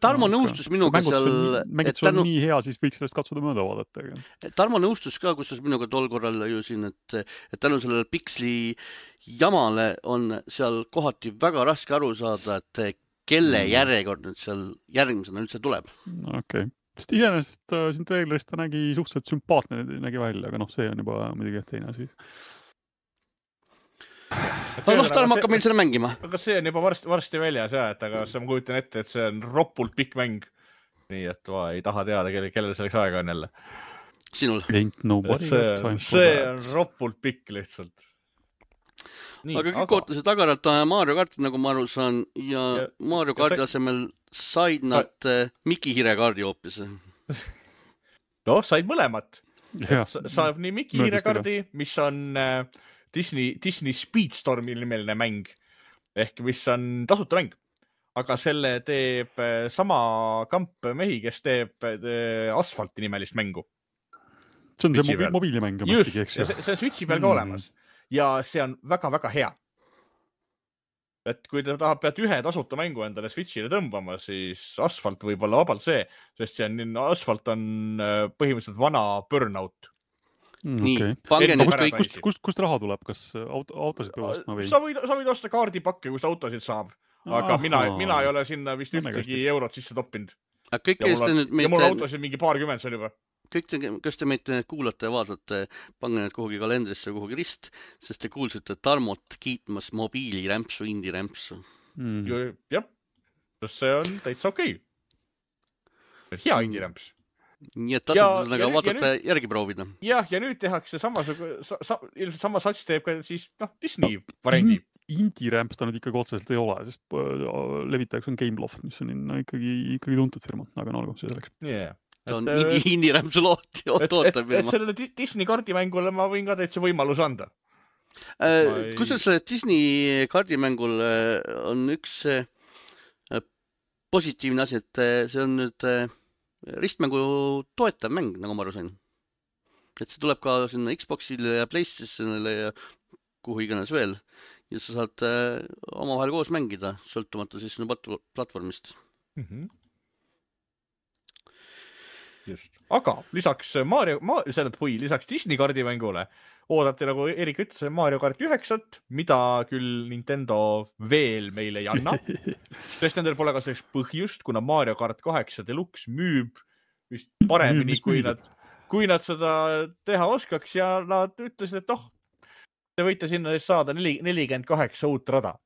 Tarmo nõustus minuga seal... Mängid sul on nii hea, siis võiks sellest katsuda mööda vaadata. Tarmo nõustus ka, kus minuga tol korral ju siin, et tänu sellele piksli jamale on seal kohati väga raske aru saada, et kelle järjekord nüüd seal järgmisena üldse tuleb. Okei. Sest iseenesest siin trailerist ta nägi suhteliselt sümpaatne nägi välja, aga see on juba muidugi teine asi. Tarmo hakkab meil selle mängima. Aga see on juba varsti väljas, et aga ma kujutan ette, et see on roppult pikk mäng. Nii, et ma ei taha teada, kellel selleks aega on jälle. Sinul. See on roppult pikk lihtsalt. Nii, aga kõik ootasid tagaralt Mario Karti, nagu ma aru saan, ja Mario Karti asemel said nad Miki Hire-kaardi hoopis. Said mõlemat. Saab nii Miki Hire-kaardi, mis on Disney Speedstormi nimeline mäng, ehk mis on tasuta mäng. Aga selle teeb sama kamp mehi, kes teeb Asfalti nimelist mängu. See on see mobiilimäng. Just, see on Switchi peal ka olemas. Ja see on väga-väga hea. Et kui te peate ühe tasuta mängu endale Switchile tõmbama, siis Asfalt võib olla vabalt see, sest Asfalt on põhimõtteliselt vana Burnout. Nii, pange nüüd kust raha tuleb? Kas autosid peab ostma või? Sa võid osta kaardipakke, kus autosid saab. Aga mina ei ole sinna vist ühtegi eurot sisse toppinud. Ja mul autosid mingi 20 seal juba. Kõik, kes te meid kuulate ja vaatate, pange need kuhugi kalendrisse kuhugi rist, sest te kuulsite Tarmot kiitmas mobiilirämpsu, indirämpsu. Jah, see on täitsa okei. Hea indirämps. Nii et tasub seda vaadata järgi proovida. Jah, ja nüüd tehakse ilmselt sama sats teeb ka siis Disney variandi. Indirämps ta nüüd ikkagi otseselt ei ole, sest levitajaks on Gameloft, mis on ikkagi tuntud firma, aga olgu, see selleks. Ta on indirämpsu tootab. Et sellele Disney kardimängule ma võin ka täitsa võimalus anda. Kusjuures selle Disney kardimängul on üks positiivne asi, et see on nüüd ristmängu toetav mäng, nagu ma aru sain. Et see tuleb ka sinna Xboxile ja PlayStationile ja kuhu iganes veel. Ja sa saad omavahel koos mängida, sõltumata siis sinu platvormist. Just. Aga lisaks lisaks Disney kardimängule oodati, nagu Erik ütles, Mario Kart 9, mida küll Nintendo veel meile ei anna. Sest nendel pole ka selleks põhjust, kuna Mario Kart 8 Deluxe müüb vist paremini, kui nad seda teha oskaks ja nad ütlesid, et te võite sinna saada 48 uut rada.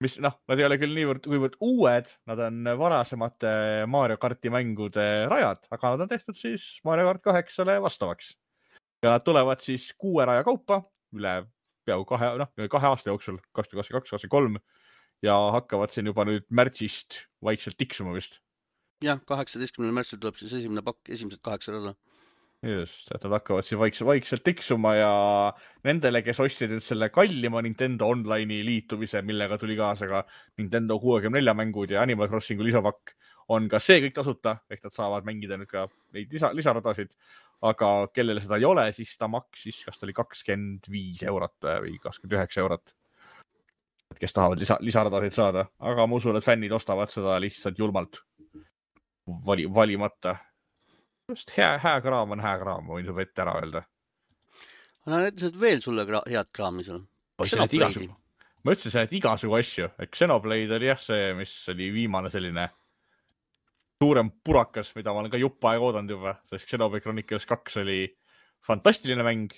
Mis, nad ei ole küll kuivõrd uued, nad on varasemate Mario Karti mängude rajad, aga nad on tehtud siis Mario Kart 8-le vastavaks. Ja nad tulevad siis 6 raja kaupa üle peaaegu 2 aasta jooksul, 2022-2023 ja hakkavad siin juba nüüd märtsist vaikselt tiksuma vist. Jah, 18. märtsil tuleb siis esimene pakk, esimesed 8 rada. just, et nad hakkavad siis vaikselt tiksuma ja nendele, kes ostsid nüüd selle kallima Nintendo Online'i liitumise, millega tuli kaasa ka Nintendo 64 mängud ja Animal Crossingu lisapakk, on ka see kõik tasuta, ehk nad saavad mängida nüüd ka neid lisaradasid, aga kellele seda ei ole, siis ta maksis, kas ta oli 25 eurot või 29 eurot, et kes tahavad lisaradasid saada, aga ma usun, et fännid ostavad seda lihtsalt julmalt valimata. Just hea kraam on hea kraam, võin juba ette ära öelda. No näitasid veel sulle head kraami seal. Ma ütlesin, et igasugu asju. Xenoblade oli jah see, mis oli viimane selline suurem purakas, mida ma olen ka jupp aega oodanud juba, sest Xenoblade Chronicles 2 oli fantastiline mäng,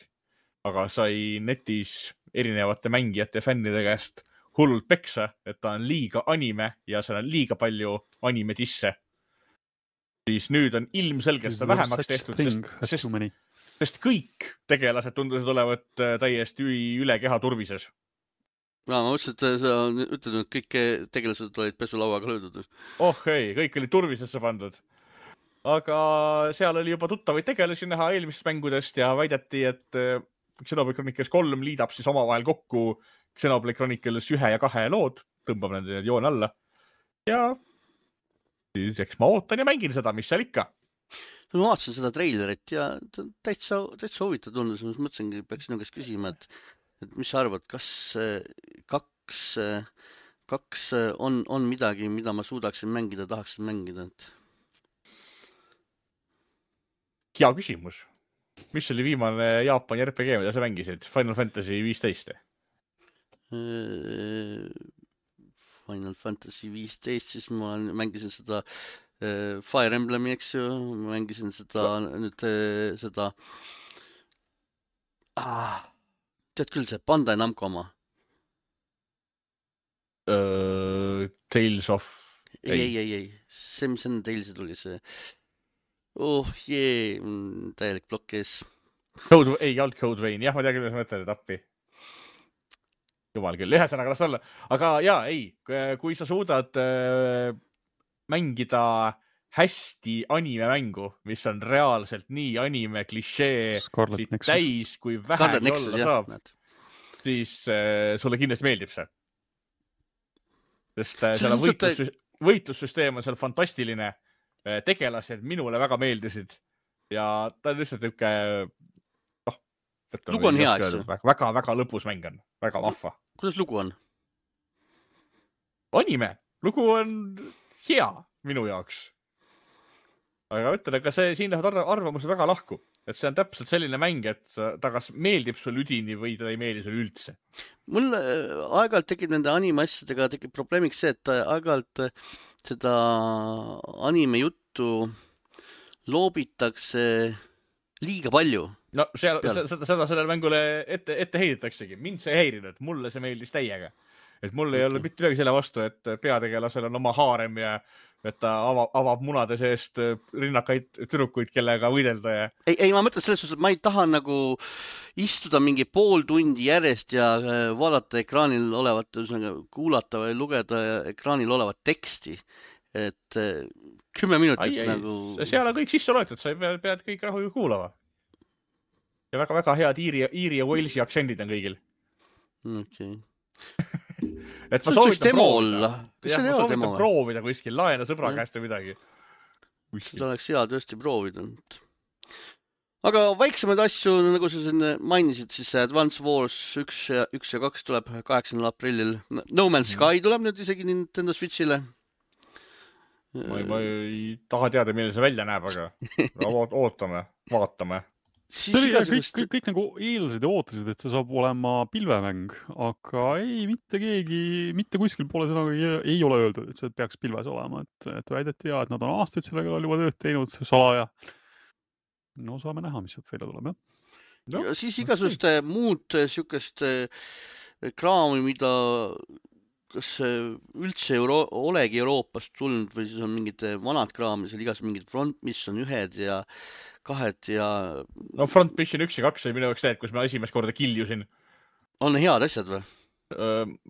aga sai netis erinevate mängijate ja fännide käest hullult peksa, et ta on liiga anime ja seal on liiga palju anime tisse. Siis nüüd on ilmselgelt seda vähemaks tehtud, sest kõik tegelased tundusid olevat täiesti üle keha turvises. Ma mõtlesin, et sa ütled, et kõik tegelased olid pesulauaga löödud. Ei, kõik oli turvisesse pandud. Aga seal oli juba tuttavaid tegelasi näha eelmistest mängudest ja väideti, et Xenoblade Chronicles 3 liidab siis omavahel kokku Xenoblade Chronicles 1 ja 2 lood, tõmbab nende joon alla ja eks ma ootan ja mängin seda, mis seal ikka. Ma vaatasin seda treilerit ja täitsa huvitav tundus. Ma mõtlesingi, peaks sinu käest küsima, et mis sa arvad, kas kaks on midagi, mida ma suudaksin mängida, tahaksin mängida? Hea küsimus. Mis oli viimane Jaapani RPG, mida sa mängisid? Final Fantasy 15? Final Fantasy 15, siis ma mängisin seda Fire Emblemi, eks ju, ma mängisin seda tead küll see Bandai Namco oma? Tales of... Ei. See, mis enne Talesi tuli see... täielik plokk ees. Ei olnud Code Vein, jah, ma tean küll, mis mõtled, et appi. Jumal küll, ühesõnaga las olla. Aga kui sa suudad mängida hästi anime mängu, mis on reaalselt nii anime klišee täis, kui vähegi olla saab, siis sulle kindlasti meeldib see. Sest seal on võitlussüsteem on seal fantastiline, tegelased minule väga meeldisid ja ta on lihtsalt niisugune lugu on hea, eks ju? Väga lõpus mäng on, väga vahva. Kuidas lugu on? Anime. Lugu on hea minu jaoks. Aga ütlen, aga siin lähevad arvamused väga lahku. Et see on täpselt selline mäng, et ta kas meeldib sul üdini või ta ei meeldi sul üldse. Mul aeg-ajalt tekib nende anime asjadega probleemiks see, et aeg-ajalt seda anime juttu loobitakse liiga palju. No seda sellele mängule ette heidetaksegi. Mind see ei häirinud, mulle see meeldis täiega. Et mul ei ole mitte midagi selle vastu, et peategelasel on oma haarem ja et ta avab munade seest rinnakaid tüdrukuid, kellega võidelda. Ja... Ei, ma mõtlen selles suhtes, et ma ei taha nagu istuda mingi pool tundi järjest ja vaadata ekraanil olevat, kuulata või lugeda ekraanil olevat teksti. Et 10 minutit nagu... Seal on kõik sisse loetud, sa pead kõik rahu kuulama. Ja väga head Iiri ja Walesi aktsendid on kõigil. Okei. Et ma soovitan proovida kuskil, laena sõbra käest või midagi. Seda oleks hea tõesti proovida. Aga väiksemaid asju, nagu sa siin mainisid, siis Advance Wars 1 ja 2 tuleb 8. aprillil. No Man's Sky tuleb nüüd isegi Nintendo Switchile. Ma ei taha teada, milline see välja näeb, aga ootame, vaatame. Kõik nagu eeldasid ja ootasid, et see saab olema pilvemäng, aga ei, mitte kuskil poole sõnaga ei ole öeldud, et see peaks pilves olema, et väideti et nad on aastaid sellega juba tööd teinud, salaja. No saame näha, mis sealt välja tuleb, jah. Ja siis igasugust muud sihukest kraami, mida kas üldse olegi Euroopast tulnud või siis on mingid vanad kraamid, seal igas mingid Front Mission 1 ja 2 ja... No Front Mission 1 ja 2 oli minu jaoks need, kus ma esimest korda kiljusin. On head asjad või?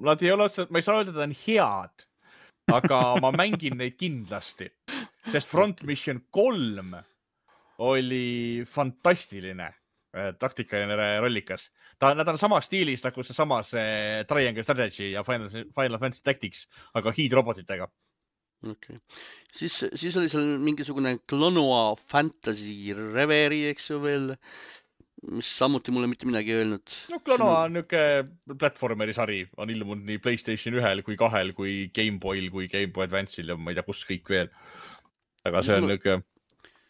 Nad ei ole, ma ei saa öelda, et on head, aga ma mängin neid kindlasti. Sest Front Mission 3 oli fantastiline taktikaline rollikas. Nad on samas stiilis nagu see samas Triangle Strategy ja Final Fantasy Tactics, aga hiidrobotitega. Okay. Siis oli seal mingisugune Klonoa Fantasy Reverie, eks ju veel, mis samuti mulle mitte midagi öelnud. No Klonoa on niisugune platformeri sari, on ilmunud nii PlayStation 1 kui 2 kui Game Boy'l kui Game Boy Advance'il ja ma ei tea, kus kõik veel. Aga see on niisugune,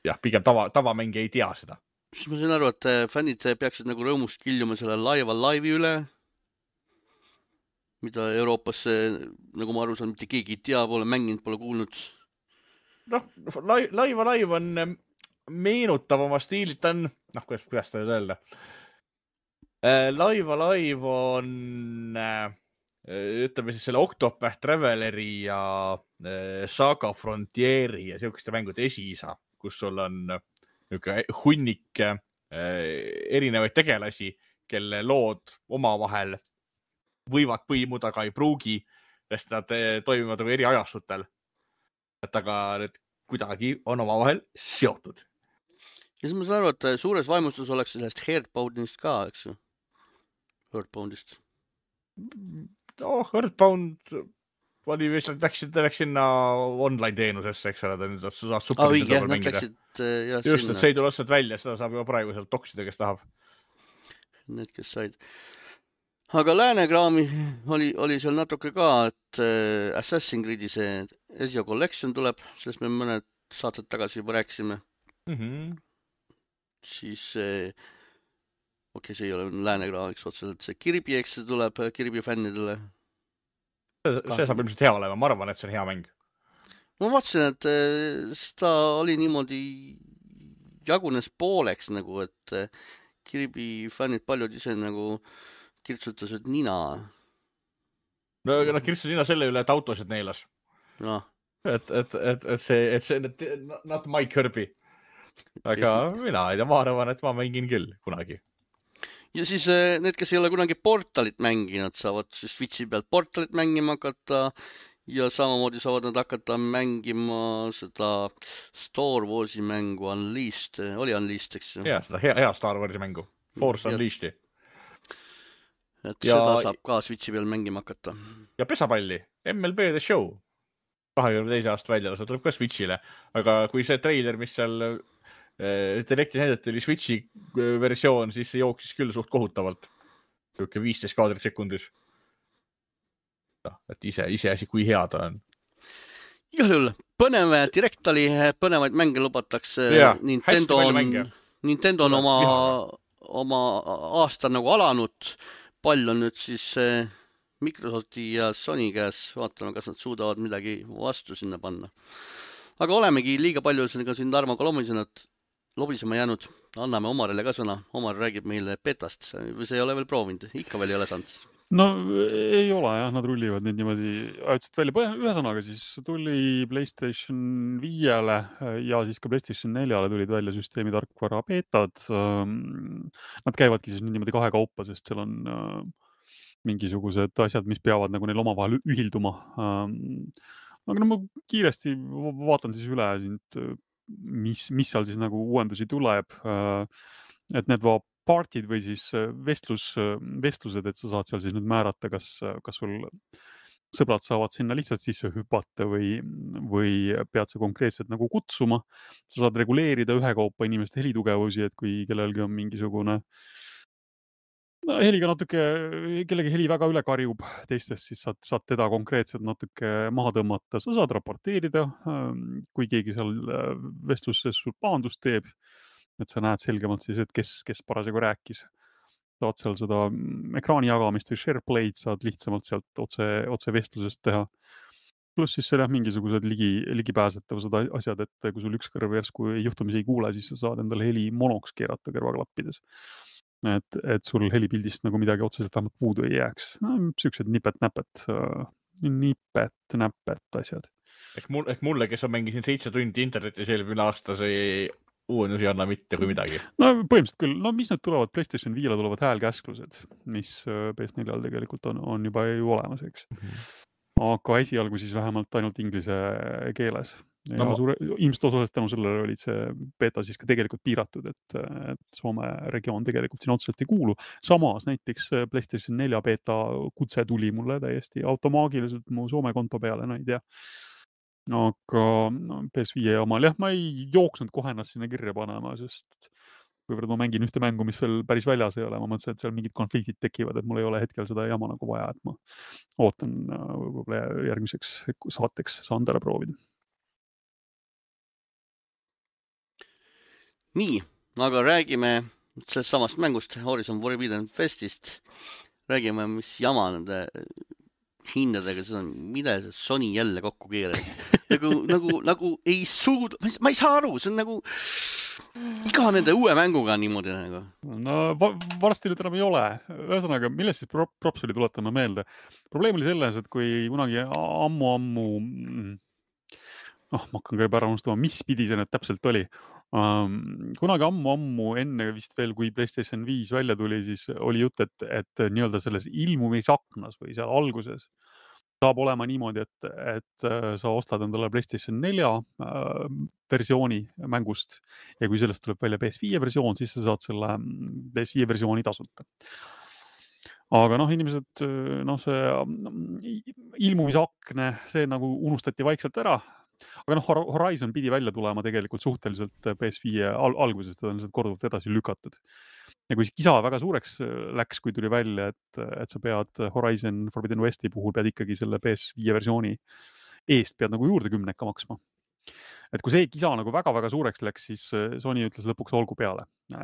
jah, pigem tavamängija ei tea seda. Siis ma sain aru, et fännid peaksid nagu rõõmust kiljuma selle live'i üle, mida Euroopas, nagu ma aru saan, mitte keegi ei tea, pole mänginud, pole kuulnud. Noh, live on meenutav oma stiililt, ta on, kuidas ta nüüd öelda. Live on, ütleme siis selle Octopath Traveleri ja Saga Frontieri ja siukeste mängude esiisa, kus sul on hunnik erinevaid tegelasi, kelle lood omavahel võivad põimuda, aga ei pruugi, sest nad toimivad nagu eri ajastutel. Et aga need kuidagi on omavahel seotud. Ja siis ma saan aru, et suures vaimustus oleks sellest Earthboundist ka, eks ju? Earthboundist. Earthbound oli vist, läks sinna online teenusesse, eks ole, ta nüüd saad Supernintendol mängida. Just, et see ei tule otseselt välja, seda saab juba praegu sealt toksida, kes tahab. Need, kes said. Aga läänekraami oli seal natuke ka, et Assassin's Creed'i see Ezio Collection tuleb, sellest me mõned saated tagasi juba rääkisime. Siis see ei ole läänekraamiks otseselt, see Kirby, eks see tuleb Kirby fännidele. See saab ilmselt hea olema, ma arvan, et see on hea mäng. Ma vaatasin, et seda oli niimoodi jagunes pooleks nagu, et Kirby fännid paljud ise nagu kirtsutasid nina. No nad kirtsutasid nina selle üle, et autosid neelas. No. Et see not my Kirby. Aga mina ei tea, ma arvan, et ma mängin küll kunagi. Ja siis need, kes ei ole kunagi Portalit mänginud, saavad siis Switchi pealt Portalit mängima hakata ja samamoodi saavad nad hakata mängima seda Star Warsi mängu Unleashed. Oli Unleashed, eks ju? Jah, seda hea Star Warsi mängu. Force Unleashed. Et seda saab ka Switchi peal mängima hakata. Ja pesapalli, MLB The Show. 22. aasta välja, see tuleb ka Switchile. Aga kui see trailer, mis seal Directis näidati, oli Switchi versioon, siis see jooksis küll suht kohutavalt. 15 kaadrit sekundis. Et ise asi, kui hea ta on. Igal juhul, põnev direkt oli, põnevaid mänge lubatakse. Nintendo on oma aasta nagu alanud. Pall on nüüd siis Microsofti ja Sony käes. Vaatame, kas nad suudavad midagi vastu sinna panna. Aga olemegi liiga palju siin Tarmoga lobisema jäänud. Anname Omarile ka sõna. Omar räägib meile betast. Või see ei ole veel proovinud? Ikka veel ei ole saanud. No ei ole jah, nad rullivad nüüd niimoodi ajutiselt välja. Ühesõnaga siis tuli PlayStation 5-le ja siis ka PlayStation 4-le tulid välja süsteemi tarkvara betad. Nad käivadki siis niimoodi kahe kaupa, sest seal on mingisugused asjad, mis peavad nagu neil omavahel ühilduma. Aga no ma kiiresti vaatan siis üle, mis seal siis nagu uuendusi tuleb. Et need partid või siis vestlused, et sa saad seal siis nüüd määrata, kas sul sõbrad saavad sinna lihtsalt sisse hüpata või pead sa konkreetselt nagu kutsuma. Sa saad reguleerida ühekaupa inimeste helitugevusi, et kui kellelgi on mingisugune heliga natuke, kellegi heli väga üle karjub teistest, siis saad teda konkreetselt natuke maha tõmmata. Sa saad raporteerida, kui keegi seal vestluses sul paandust teeb. Et sa näed selgemalt siis, et kes parasjagu rääkis. Saad seal seda ekraani jagamist või SharePlay'd saad lihtsamalt sealt otse vestlusest teha. Plus siis seal mingisugused ligipääsetavused asjad, et kui sul üks kõrv järsku juhtumisi ei kuule, siis sa saad endale heli monoks keerata kõrvaklappides. Et sul helipildist nagu midagi otseselt vähemalt puudu ei jääks. Siuksed nipet-näpet asjad. Ehk mulle, kes on mängisin 7 tundi internetis eelmine aasta, see uuendusi ei anna mitte kui midagi. No põhimõtteliselt küll. No mis nüüd tulevad? PlayStation 5-le tulevad häälkäsklused, mis PS4-l tegelikult on juba ju olemas, eks. Aga esialgu siis vähemalt ainult inglise keeles. ja ilmselt osaliselt tänu sellele olid see beta siis ka tegelikult piiratud, et Soome regioon tegelikult siin otseselt ei kuulu. Samas näiteks PlayStation 4 beta kutse tuli mulle täiesti automaagiliselt mu Soome konto peale, no ei tea. Aga PS5 omal jah, ma ei jooksnud kohe ennast sinna kirja panema, sest kuivõrd ma mängin ühte mängu, mis veel päris väljas ei ole, ma mõtlesin, et seal mingid konfliktid tekivad, et mul ei ole hetkel seda jama nagu vaja, et ma ootan võib-olla järgmiseks saateks saan ära proovida. Nii, aga räägime sellest samast mängust Horizon Forbidden Westist. Räägime, mis jama nende hindadega, see on, mida see Sony jälle kokku keeras. nagu ei suuda, ma ei saa aru, see on nagu iga nende uue mänguga niimoodi nagu. No varsti nüüd enam ei ole. Ühesõnaga, millest siis props oli, tuletame meelde. Probleem oli selles, et kui kunagi ammu ma hakkan ka juba ära unustama, mis pidi see nüüd täpselt oli. Kunagi ammu enne vist veel, kui PlayStation 5 välja tuli, siis oli jutt, et nii-öelda selles ilmumisaknas või seal alguses saab olema niimoodi, et sa ostad endale PlayStation 4 versiooni mängust ja kui sellest tuleb välja PS5 versioon, siis sa saad selle PS5 versiooni tasuta. Aga inimesed, see ilmumisakne, see nagu unustati vaikselt ära. Aga Horizon pidi välja tulema tegelikult suhteliselt PS5 algusest, ta on lihtsalt korduvalt edasi lükatud. Ja kui kisa väga suureks läks, kui tuli välja, et sa pead Horizon Forbidden Westi puhul pead ikkagi selle PS5 versiooni eest pead nagu juurde 10 maksma. Et kui see kisa nagu väga-väga suureks läks, siis Sony ütles lõpuks olgu peale.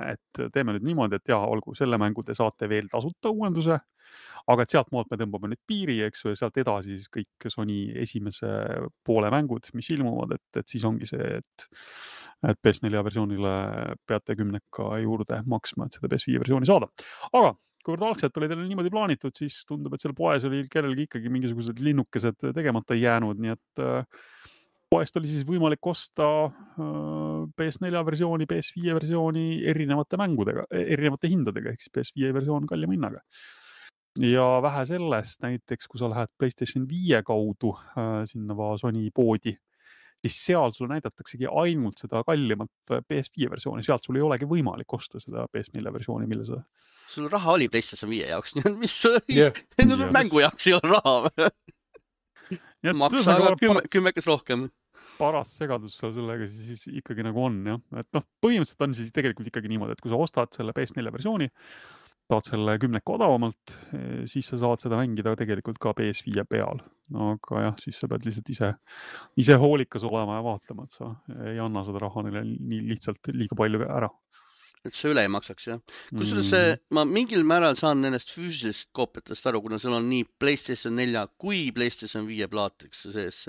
Et teeme nüüd niimoodi, et olgu, selle mängu te saate veel tasuta uuenduse, aga et sealt maalt me tõmbame nüüd piiri, eks ju, ja sealt edasi siis kõik Sony esimese poole mängud, mis ilmuvad, et siis ongi see, et PS4 versioonile peate 10 juurde maksma, et seda PS5 versiooni saada. Aga kuivõrd algselt oli teil niimoodi plaanitud, siis tundub, et seal poes oli kellelgi ikkagi mingisugused linnukesed tegemata jäänud, nii et poest oli siis võimalik osta PS4 versiooni, PS5 versiooni erinevate mängudega, erinevate hindadega, ehk siis PS5 versioon kallima hinnaga. Ja vähe sellest, näiteks kui sa lähed PlayStation 5 kaudu sinna Sony poodi, siis seal sulle näidataksegi ainult seda kallimat PS5 versiooni, sealt sul ei olegi võimalik osta seda PS4 versiooni, mille sa... Sul raha oli PlayStation 5 jaoks, mis mängu jaoks ei ole raha. Maksa aga 10 rohkem. Paras segadus seal sellega siis ikkagi nagu on, jah. Et põhimõtteliselt on siis tegelikult ikkagi niimoodi, et kui sa ostad selle PS4 versiooni, saad selle 10 odavamalt, siis sa saad seda mängida tegelikult ka PS5 peal. Aga jah, siis sa pead lihtsalt ise hoolikas olema ja vaatama, et sa ei anna seda raha neile nii lihtsalt liiga palju ära. Et see üle ei maksaks, jah. Kusjuures ma mingil määral saan nendest füüsilisest koopiatest aru, kuna seal on nii PlayStation 4 kui PlayStation 5 plaatiks sees.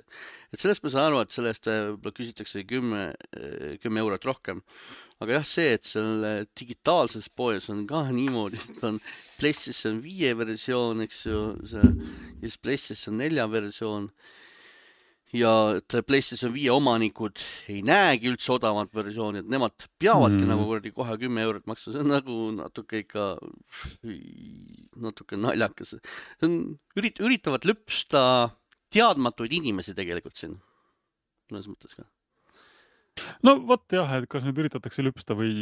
Et sellest ma saan aru, et sellest küsitakse 10 eurot rohkem. Aga jah, see, et selle digitaalses poes on ka niimoodi, et on PlayStation 5 versioon, eks ju, ja PlayStation 4 versioon. Ja et PlayStation 5 omanikud ei näegi üldse odavat versiooni, et nemad peavadki nagu kohe 10 eurot maksta. See on nagu natuke naljakas. Üritavad lõpsta teadmatuid inimesi tegelikult siin. Mõnes mõttes ka. No vot jah, et kas nüüd üritatakse lõpsta või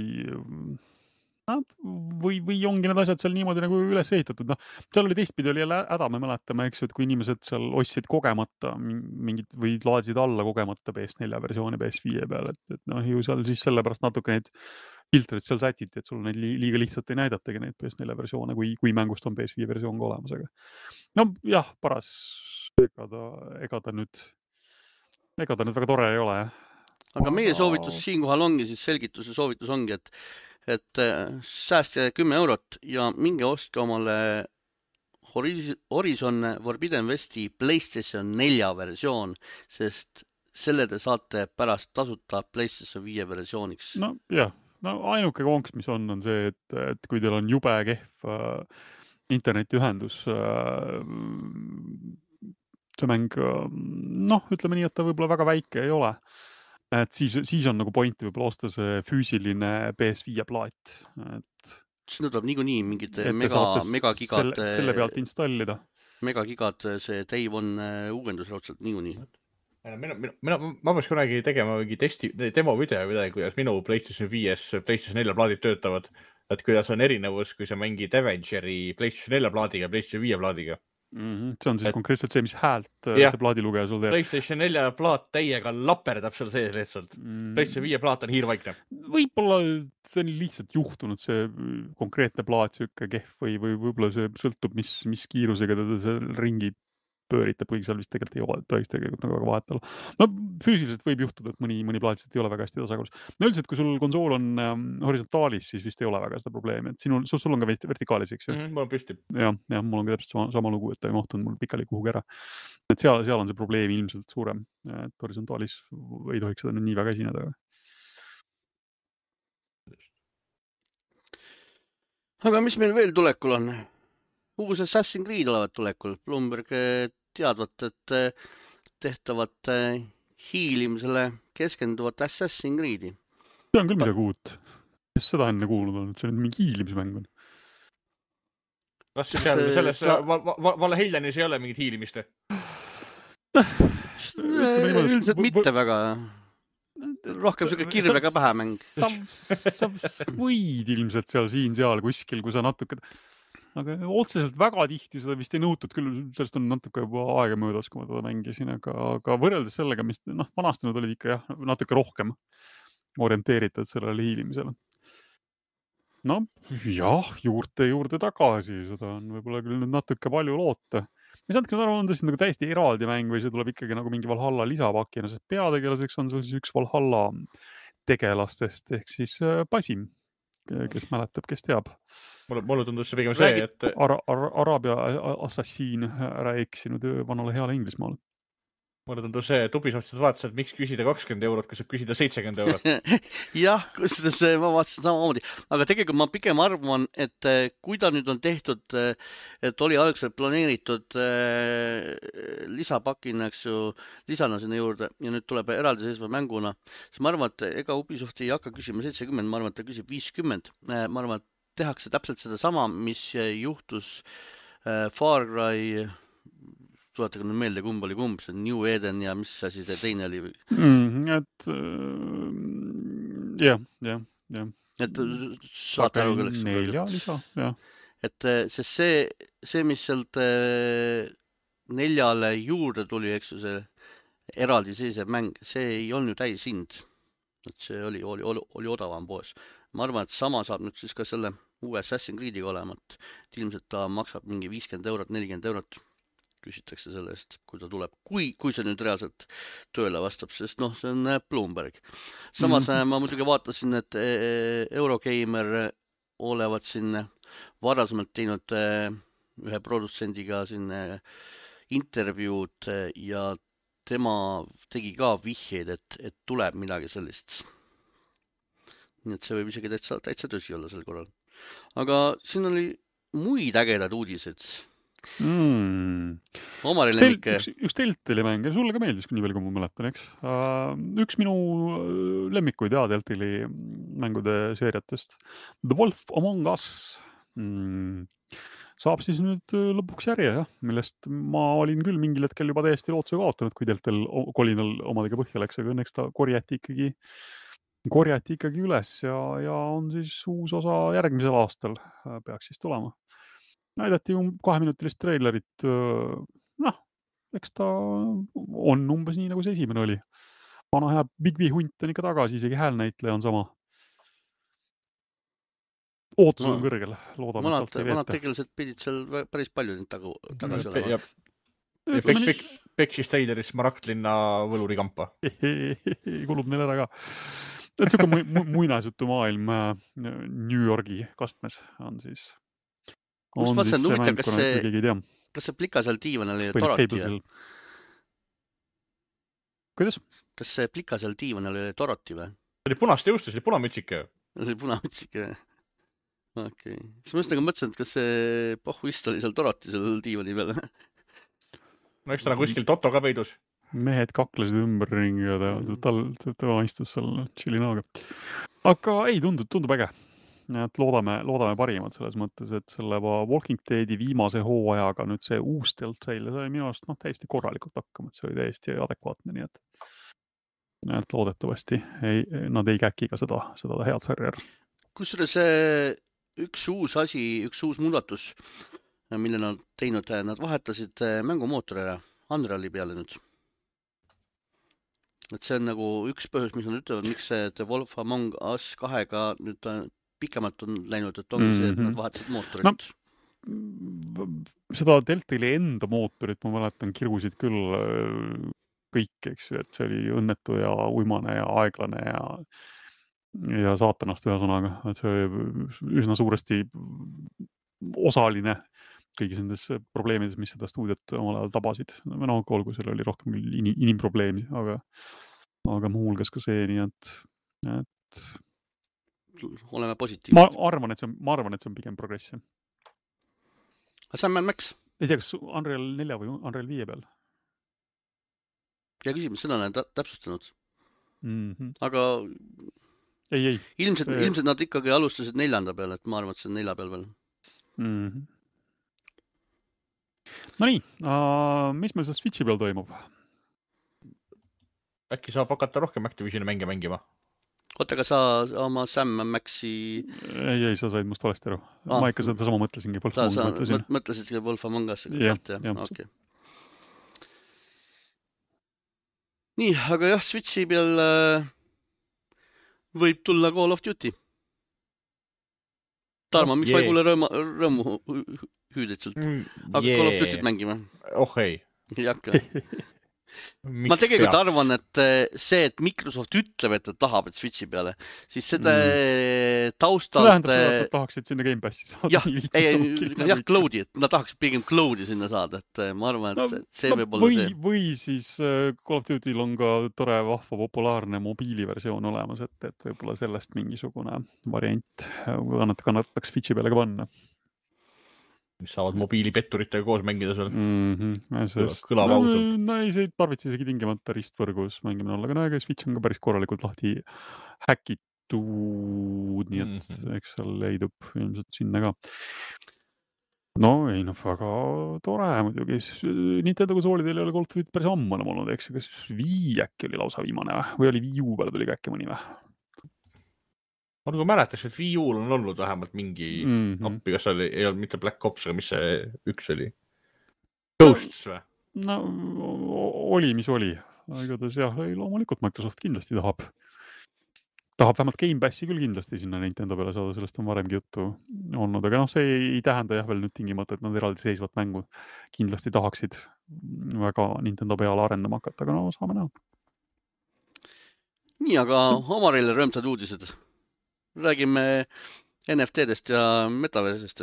ongi need asjad seal niimoodi nagu üles ehitatud. Seal oli teistpidi oli jälle häda, me mäletame, eks ju, et kui inimesed seal ostsid kogemata mingid või laadsid alla kogemata PS4 versiooni PS5 peal, et ju seal siis sellepärast natuke neid filtrid seal sätiti, et sul neid liiga lihtsalt ei näidatagi neid PS4 versioone, kui mängust on PS5 versioon ka olemas. Aga jah, paras, ega ta nüüd väga tore ei ole. Aga meie soovitus siinkohal ongi siis selgituse soovitus ongi, et säästke 10 eurot ja minge ostke omale Horizon Forbidden Westi PlayStation 4 versioon, sest selle te saate pärast tasuta PlayStation 5 versiooniks. Ainuke konks, mis on see, et kui teil on jube kehv internetiühendus, see mäng, ütleme nii, et ta võib-olla väga väike ei ole. Et siis on nagu pointi võib-olla osta see füüsiline PS5 plaat. Sinna tuleb niikuinii mingid megagigad selle pealt installida. Megagigad see Day One uuendus raudselt niikuinii. ma peaks kunagi tegema mingi demo video midagi, kuidas minu PlayStation 5, PlayStation 4 plaadid töötavad. Et kuidas on erinevus, kui sa mängid Avengeri PlayStation 4 plaadiga ja PlayStation 5 plaadiga. See on siis konkreetselt see, mis häält see plaadilugeja sul teeb. PlayStation 4 plaat täiega laperdab seal sees lihtsalt. PlayStation 5 plaat on hiirvaikne. Võib-olla see on lihtsalt juhtunud, see konkreetne plaat siuke kehv või võib-olla see sõltub, mis kiirusega teda see ringi pööritab, kuigi seal vist tegelikult ei tohiks tegelikult nagu väga vahet olla. No füüsiliselt võib juhtuda, et mõni plaat ei ole väga hästi tasakaalus. No üldiselt, kui sul konsool on horisontaalis, siis vist ei ole väga seda probleemi, et sul on ka vertikaalis, eks ju? Mul on püsti. Ja, mul on ka täpselt sama lugu, et ta ei mahtunud mul pikali kuhugi ära. Et seal on see probleem ilmselt suurem, et horisontaalis ei tohiks seda nüüd nii väga esineda. Aga mis meil veel tulekul on? Uus Assassin's Creed olevat tulekul. Bloomberg teadvat, et tehtavat hiilimisele keskenduvat Assassin's Creed'i. See on küll midagi uut. Kes seda enne kuulnud on, et see on mingi hiilimismäng on? Kas selles Valheilianis ei ole mingit hiilimist? Üldiselt mitte väga. Rohkem siuke kirvega pähe mäng. Sa võid ilmselt seal kuskil, kui sa natuke... Aga otseselt väga tihti seda vist ei nõutud, küll sellest on natuke juba aega möödas, kui ma teda mängisin, aga võrreldes sellega, mis vanasti nad olid ikka natuke rohkem orienteeritud sellele hiilimisele. No jah, juurde tagasi, seda on võib-olla küll nüüd natuke palju loota. Ma ei saanud küll aru, on tõesti nagu täiesti eraldi mäng või see tuleb ikkagi nagu mingi Valhalla lisapakina, sest peategelaseks on sul siis üks Valhalla tegelastest ehk siis Basim, kes mäletab, kes teab. Mulle tundus see pigem see, et... Araabia assassiin ära eksinud vanale heale Inglismaale. Mulle tundus see, et Ubisoftis vaatas, et miks küsida 20 eurot, kui saab küsida 70 eurot. Jah, kusjuures ma vaatasin samamoodi. Aga tegelikult ma pigem arvan, et kui ta nüüd on tehtud, et oli algselt planeeritud lisapakina, eks ju, lisana sinna juurde ja nüüd tuleb eraldiseisva mänguna, siis ma arvan, et ega Ubisoft ei hakka küsima 70, ma arvan, et ta küsib 50. Ma arvan, et tehakse täpselt seda sama, mis juhtus Far Cry... Tuletage nüüd meelde, kumb oli kumb, see New Eden ja mis asi teine oli? Jah. Et saate aru kelleks? 4 lisa, jah. Et see, mis sealt 4 juurde tuli, eks ju, see eraldi seisev mäng, see ei olnud ju täis hind. Et see oli odavam poes. Ma arvan, et sama saab nüüd siis ka selle uue Assassin's Creed'iga olema, et ilmselt ta maksab mingi 50 eurot, 40 eurot. Küsitakse selle eest, kui ta tuleb, kui see nüüd reaalselt tööle vastab, sest see on Bloomberg. Samas ma muidugi vaatasin, et Eurogeimer olevat siin varasemalt teinud ühe produtsendiga siin intervjuud ja tema tegi ka vihjeid, et tuleb midagi sellist. Nii et see võib isegi täitsa tõsi olla sel korral. Aga siin oli muid ägedad uudised. Omaril ennike. Üks Deltali mäng, ja sulle ka meeldis, kui nii palju, kui ma mäletan, eks. Üks minu lemmikuid Deltali mängude seeriatest. The Wolf Among Us saab siis nüüd lõpuks järje, millest ma olin küll mingil hetkel juba täiesti lootuse kaotanud, kui Deltal kolinal omadega põhja läks, aga õnneks ta korjati ikkagi üles ja on siis uus osa järgmisel aastal peaks siis tulema. Näidati 2-minutilist treilerit, eks ta on umbes nii, nagu see esimene oli. Vana hea Big V hunt on ikka tagasi, isegi häälnäitleja on sama. Ootus on kõrgel, loodame. Vanad tegelased pidid seal päris palju tagasi olema. Peksis treileris Maraktlinna võlurikampa. Kulub neil ära ka. Et siuke muinasjutu maailm New Yorgi kastmes on siis... Kus ma saan huvitav, kas see plika seal diivanil oli Doroti? Kuidas? Kas see plika seal diivanil oli Doroti või? See oli punast jõustus, see oli punamütsike. See oli punamütsike, okei. Siis ma just nagu mõtlesin, et kas see pohhuist oli seal Doroti seal diivani peal. No eks ta on kuskil Toto ka peidus. Mehed kaklesid ümberringi ja ta istus seal chillinaga. Aga ei, tundub äge. et loodame parimat selles mõttes, et selle Walking Deadi viimase hooajaga nüüd see uus Telltale sai minu arust täiesti korralikult hakkama, et see oli täiesti adekvaatne, nii et loodetavasti nad ei käki ka seda head sarja ära. Kusjuures üks uus muudatus, mille nad teinud, nad vahetasid mängumootori ära Unreali peale nüüd. Et see on nagu üks põhjus, mis nad ütlevad, miks see The Wolf Among Us 2-ga nüüd pikemalt on läinud, et ongi see, et nad vahetasid mootorit. No, seda Telltale'i enda mootorit ma mäletan kirgusid küll kõik, eks ju, et see oli õnnetu ja uimane ja aeglane ja saatanast ühesõnaga, et see oli üsna suuresti osaline kõigis nendes probleemides, mis seda stuudiot omal ajal tabasid. No olgu, seal oli rohkem inimprobleemi, aga muu hulgas ka see, nii et oleme positiivsed. Ma arvan, et see on pigem progress. Sam & Max? Ei tea, kas Unreal 4 või Unreal 5 peal? Ja küsimus, seda olen täpsustanud. Aga ei. Ilmselt nad ikkagi alustasid 4 peal, et ma arvan, et see on 4 peal veel. No nii, mis meil seal Switchi peal toimub? Äkki saab hakata rohkem Activisioni mänge mängima? Oota, aga sa oma Sam & Maxi... Ei, sa said must valesti aru. Ma ikka seda sama mõtlesingi. Sa mõtlesidki Wolf Among Us? Jah. Okay. Nii, aga jah, Switchi peal võib tulla Call of Duty. Tarmo, miks ma ei kuule rõõmu hüüded sealt? Aga Call of Duty't mängime? Oh ei. Jakka. Ma tegelikult arvan, et see, et Microsoft ütleb, et ta tahab, et Switchi peale, siis seda taustalt... Tähendab, et tahaksid sinna Game Passi saada. Jah, cloud'i, et nad tahaksid pigem cloud'i sinna saada, et ma arvan, et see võib olla see. Või siis Call of Duty'l on ka tore, vahva, populaarne mobiiliversioon olemas, et võib-olla sellest mingisugune variant kannataks Switchi peale ka panna. Mis saavad mobiilipetturitega koos mängida seal. Kõlab ausalt. No ei, see tarvitse isegi tingimata ristvõrgus mängimine olla, aga no Switch on ka päris korralikult lahti häkitud, nii et eks seal leidub ilmselt sinna ka. No ei, väga tore muidugi. Nintendo konsoolidel ei ole Call of Duty päris ammu enam olnud, eks ju, kas Wii äkki oli lausa viimane või oli Wii U peale tuli äkki mõni või? Ma nagu mäletaks, et Wii U-l on olnud vähemalt mingi appi, kas seal ei olnud mitte Black Ops, aga mis see üks oli? Ghosts või? No oli, mis oli. Igatahes jah, loomulikult Microsoft kindlasti tahab vähemalt Game Passi küll kindlasti sinna Nintendo peale saada, sellest on varemgi juttu olnud, aga see ei tähenda jah veel nüüd tingimata, et nad eraldi seisvat mängu kindlasti tahaksid väga Nintendo peale arendama hakata, aga no saame näha. Nii, aga Omarile rõõmsad uudised. Räägime NFT-dest ja metaversest.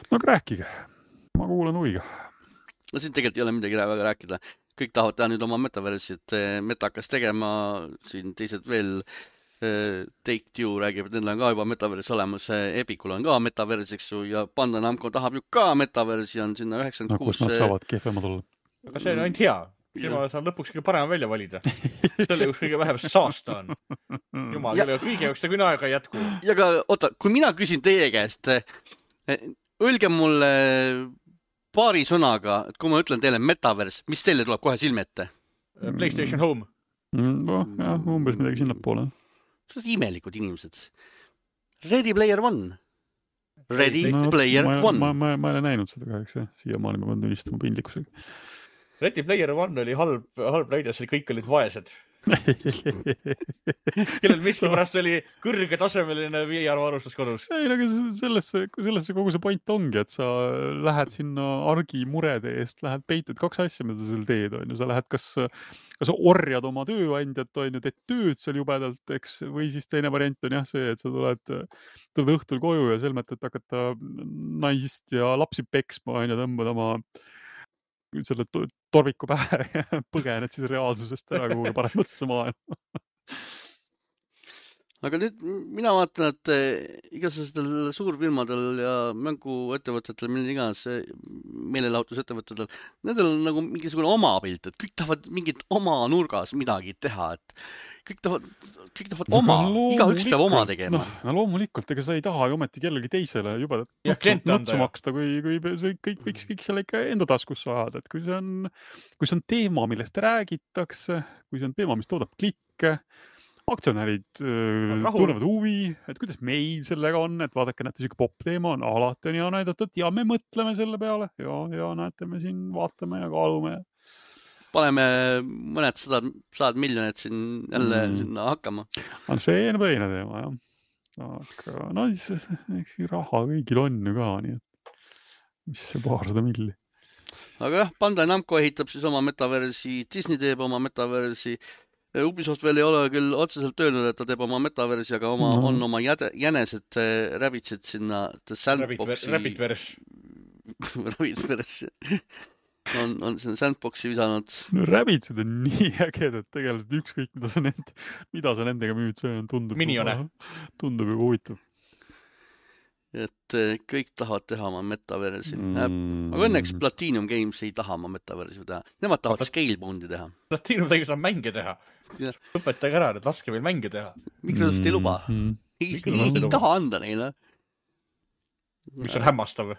No aga rääkige, ma kuulen huviga. No siin tegelikult ei ole midagi väga rääkida. Kõik tahavad teha nüüd oma metaversit. Meta hakkas tegema, siin teised veel Take-Two räägib, et neil on ka juba metavers olemas. Epicul on ka metavers, eks ju, ja Bandai Namco tahab ju ka metaversi, on sinna 96. No kus nad saavad kehvemad olla? Aga see on ainult hea. Silma saan lõpuks kõige parem välja valida. Selle kus kõige vähem saasta on. Jumal, kõige jaoks ta küll aega ei jätku. Ja aga, oota, kui mina küsin teie käest, öelge mulle paari sõnaga, et kui ma ütlen teile metavers, mis teile tuleb kohe silme ette? PlayStation Home. Jah, umbes midagi sinnapoole. See on imelikud inimesed. Ready Player One. Ready Player One. Ma ei ole näinud seda kahjuks, siia maani ma pean tunnistama pindlikkusega. Ready Player One oli halb näide, see kõik olid vaesed. Kellel miski pärast oli kõrgetasemeline VR-varustus kodus. Ei, aga sellesse kogu see point ongi, et sa lähed sinna argimurede eest, lähed peitud 2 asja, mida sa seal teed, on ju. Sa lähed kas orjad oma tööandjat, on ju, teed tööd seal jubedalt, eks, või siis teine variant on jah see, et sa tuled õhtul koju ja selmet, et hakata naist ja lapsi peksma, on ju, tõmbad oma selle torviku pähe ja põgened siis reaalsusest ära kuhugi paremasse maailma. aga nüüd mina vaatan, et igasugustel suurfirmadel ja mänguettevõtetel, mille iganes meelelahutusettevõtetel, nendel on nagu mingisugune oma pilt, et kõik tahavad mingit oma nurgas midagi teha, et kõik tahavad oma, igaüks peab oma tegema. No loomulikult, ega sa ei taha ju ometi kellegi teisele juba nutsu maksta, kui kõik võiks kõik selle ikka enda taskusse ajada, et kui see on teema, millest räägitakse, kui see on teema, mis toodab klikke, aktsionärid tunnevad huvi, et kuidas meil sellega on, et vaadake, näete, siuke pop teema on alati on hea näidata, et ja me mõtleme selle peale ja näete, me siin vaatame ja kaalume. Paneme mõned sajad miljonid siin jälle sinna hakkama. See on põine teema, jah. Aga no, eks raha kõigil on ju ka, nii et mis see 200 milli. Aga jah, Bandai Namco ehitab siis oma metaversi, Disney teeb oma metaversi, Ubisoft veel ei ole küll otseselt öelnud, et ta teeb oma metaversi, aga on oma jänesed räbitsid sinna Sandboxi. Rabbitverse. On sinna Sandboxi visanud. No räbitsed on nii ägedad tegelikult, ükskõik mida sa nendega müüd, see tundub juba huvitav. Et kõik tahavad teha oma metaversi. Aga õnneks Platinum Games ei taha oma metaversi teha. Nemad tahavad Scaleboundi teha. Platinum tegi seda mänge teha. Õpetage ära, et laske meil mänge teha. Microsoft ei luba. Ei taha anda neile. Mis on hämmastav.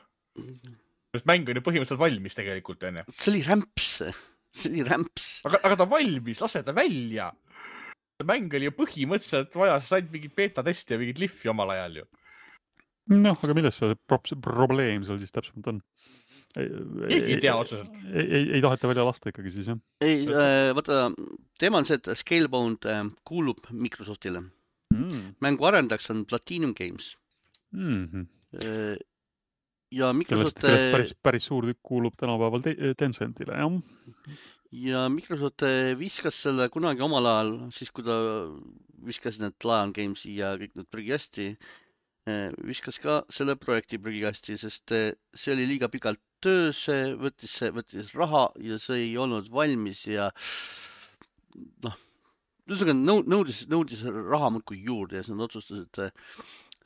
Mäng on ju põhimõtteliselt valmis tegelikult, enne. See oli rämps. Aga ta valmis, lase ta välja. Mäng oli ju põhimõtteliselt vajas ainult mingit beta-testi ja mingit liffi omal ajal ju. Noh, aga milles see probleem seal siis täpselt on? Ei tea otseselt. Ei taheta välja lasta ikkagi siis, jah? Ei, vaata, teema on see, et Scalebound kuulub Microsoftile. Mängu arendaks on Platinum Games. Ja Microsoft... Kellest päris suur tükk kuulub tänapäeval Tencentile, jah? Ja Microsoft viskas selle kunagi omal ajal, siis kui ta viskas need Lion Gamesi ja kõik need prügikasti, viskas ka selle projekti prügikasti, sest see oli liiga pikalt töös, võttis raha ja see ei olnud valmis ja nõudis raha muudkui juurde ja siis nad otsustasid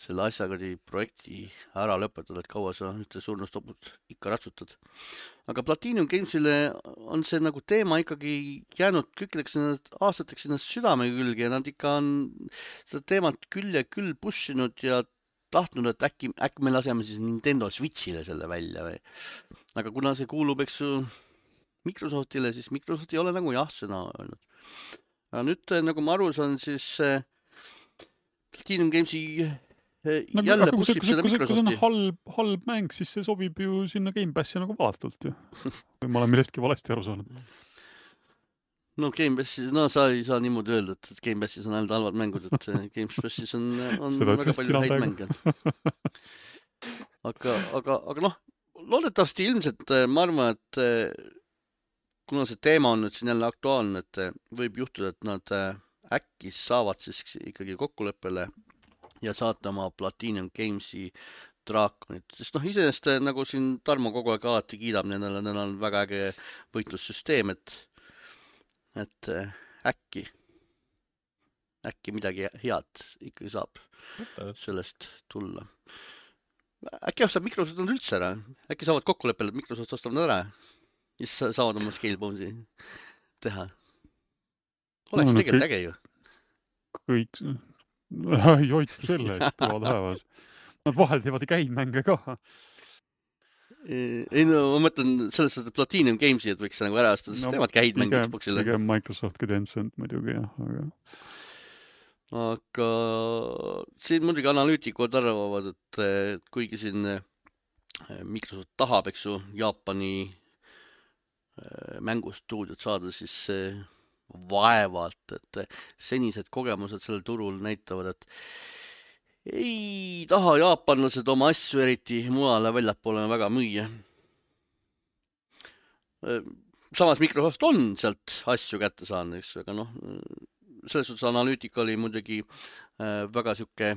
selle asjaga projekti ära lõpetada, et kaua sa ühte surnustoput ikka ratsutad. Aga Platinum Gamesile on see nagu teema ikkagi jäänud kõikideks aastateks sinna südame külge ja nad ikka on seda teemat küll ja küll pushinud ja tahtnud, et äkki me laseme siis Nintendo Switchile selle välja või. Aga kuna see kuulub, eks ju, Microsoftile, siis Microsoft ei ole nagu jah-sõna öelnud. Aga nüüd, nagu ma aru saan, siis Platinum Gamesi jälle pushib seda Microsofti. Kui see on halb mäng, siis see sobib ju sinna Game Passi nagu valatult ju. Või ma olen millestki valesti aru saanud. No Game Passis, sa ei saa niimoodi öelda, et Game Passis on ainult halvad mängud, et Game Passis on väga palju häid mänge. Aga noh, loodetavasti ilmselt ma arvan, et kuna see teema on nüüd siin jälle aktuaalne, et võib juhtuda, et nad äkki saavad siis ikkagi kokkuleppele ja saata oma Platinum Gamesi draakonit. Sest iseenesest nagu siin Tarmo kogu aeg alati kiidab, neil on väga äge võitlussüsteem, et äkki midagi head ikkagi saab sellest tulla. Äkki ostab Microsoft on üldse ära? Äkki saavad kokkuleppele, et Microsoft ostab nad ära? Ja siis saavad oma Scaleboundi teha. Oleks tegelikult äge ju. Kõik... Ei hoitu selle, et püvad häevas. Nad vahel teevad käimänge ka. Ei no, ma mõtlen selles, et Platinum Gamesi, et võiks nagu ära astada, sest teevad käid mängid Xboxile. Pigem Microsoft kui Tencent muidugi, jah. Aga siin muidugi analüütikud arvavad, et kuigi siin Microsoft tahab, eks ju, Jaapani mängustuudiot saada, siis vaevalt, et senised kogemused sellel turul näitavad, et ei taha jaapanlased oma asju eriti mujale väljapoole väga müüa. Samas Microsoft on sealt asju kätte saanud, eks, aga selles suhtes analüütika oli muidugi väga siuke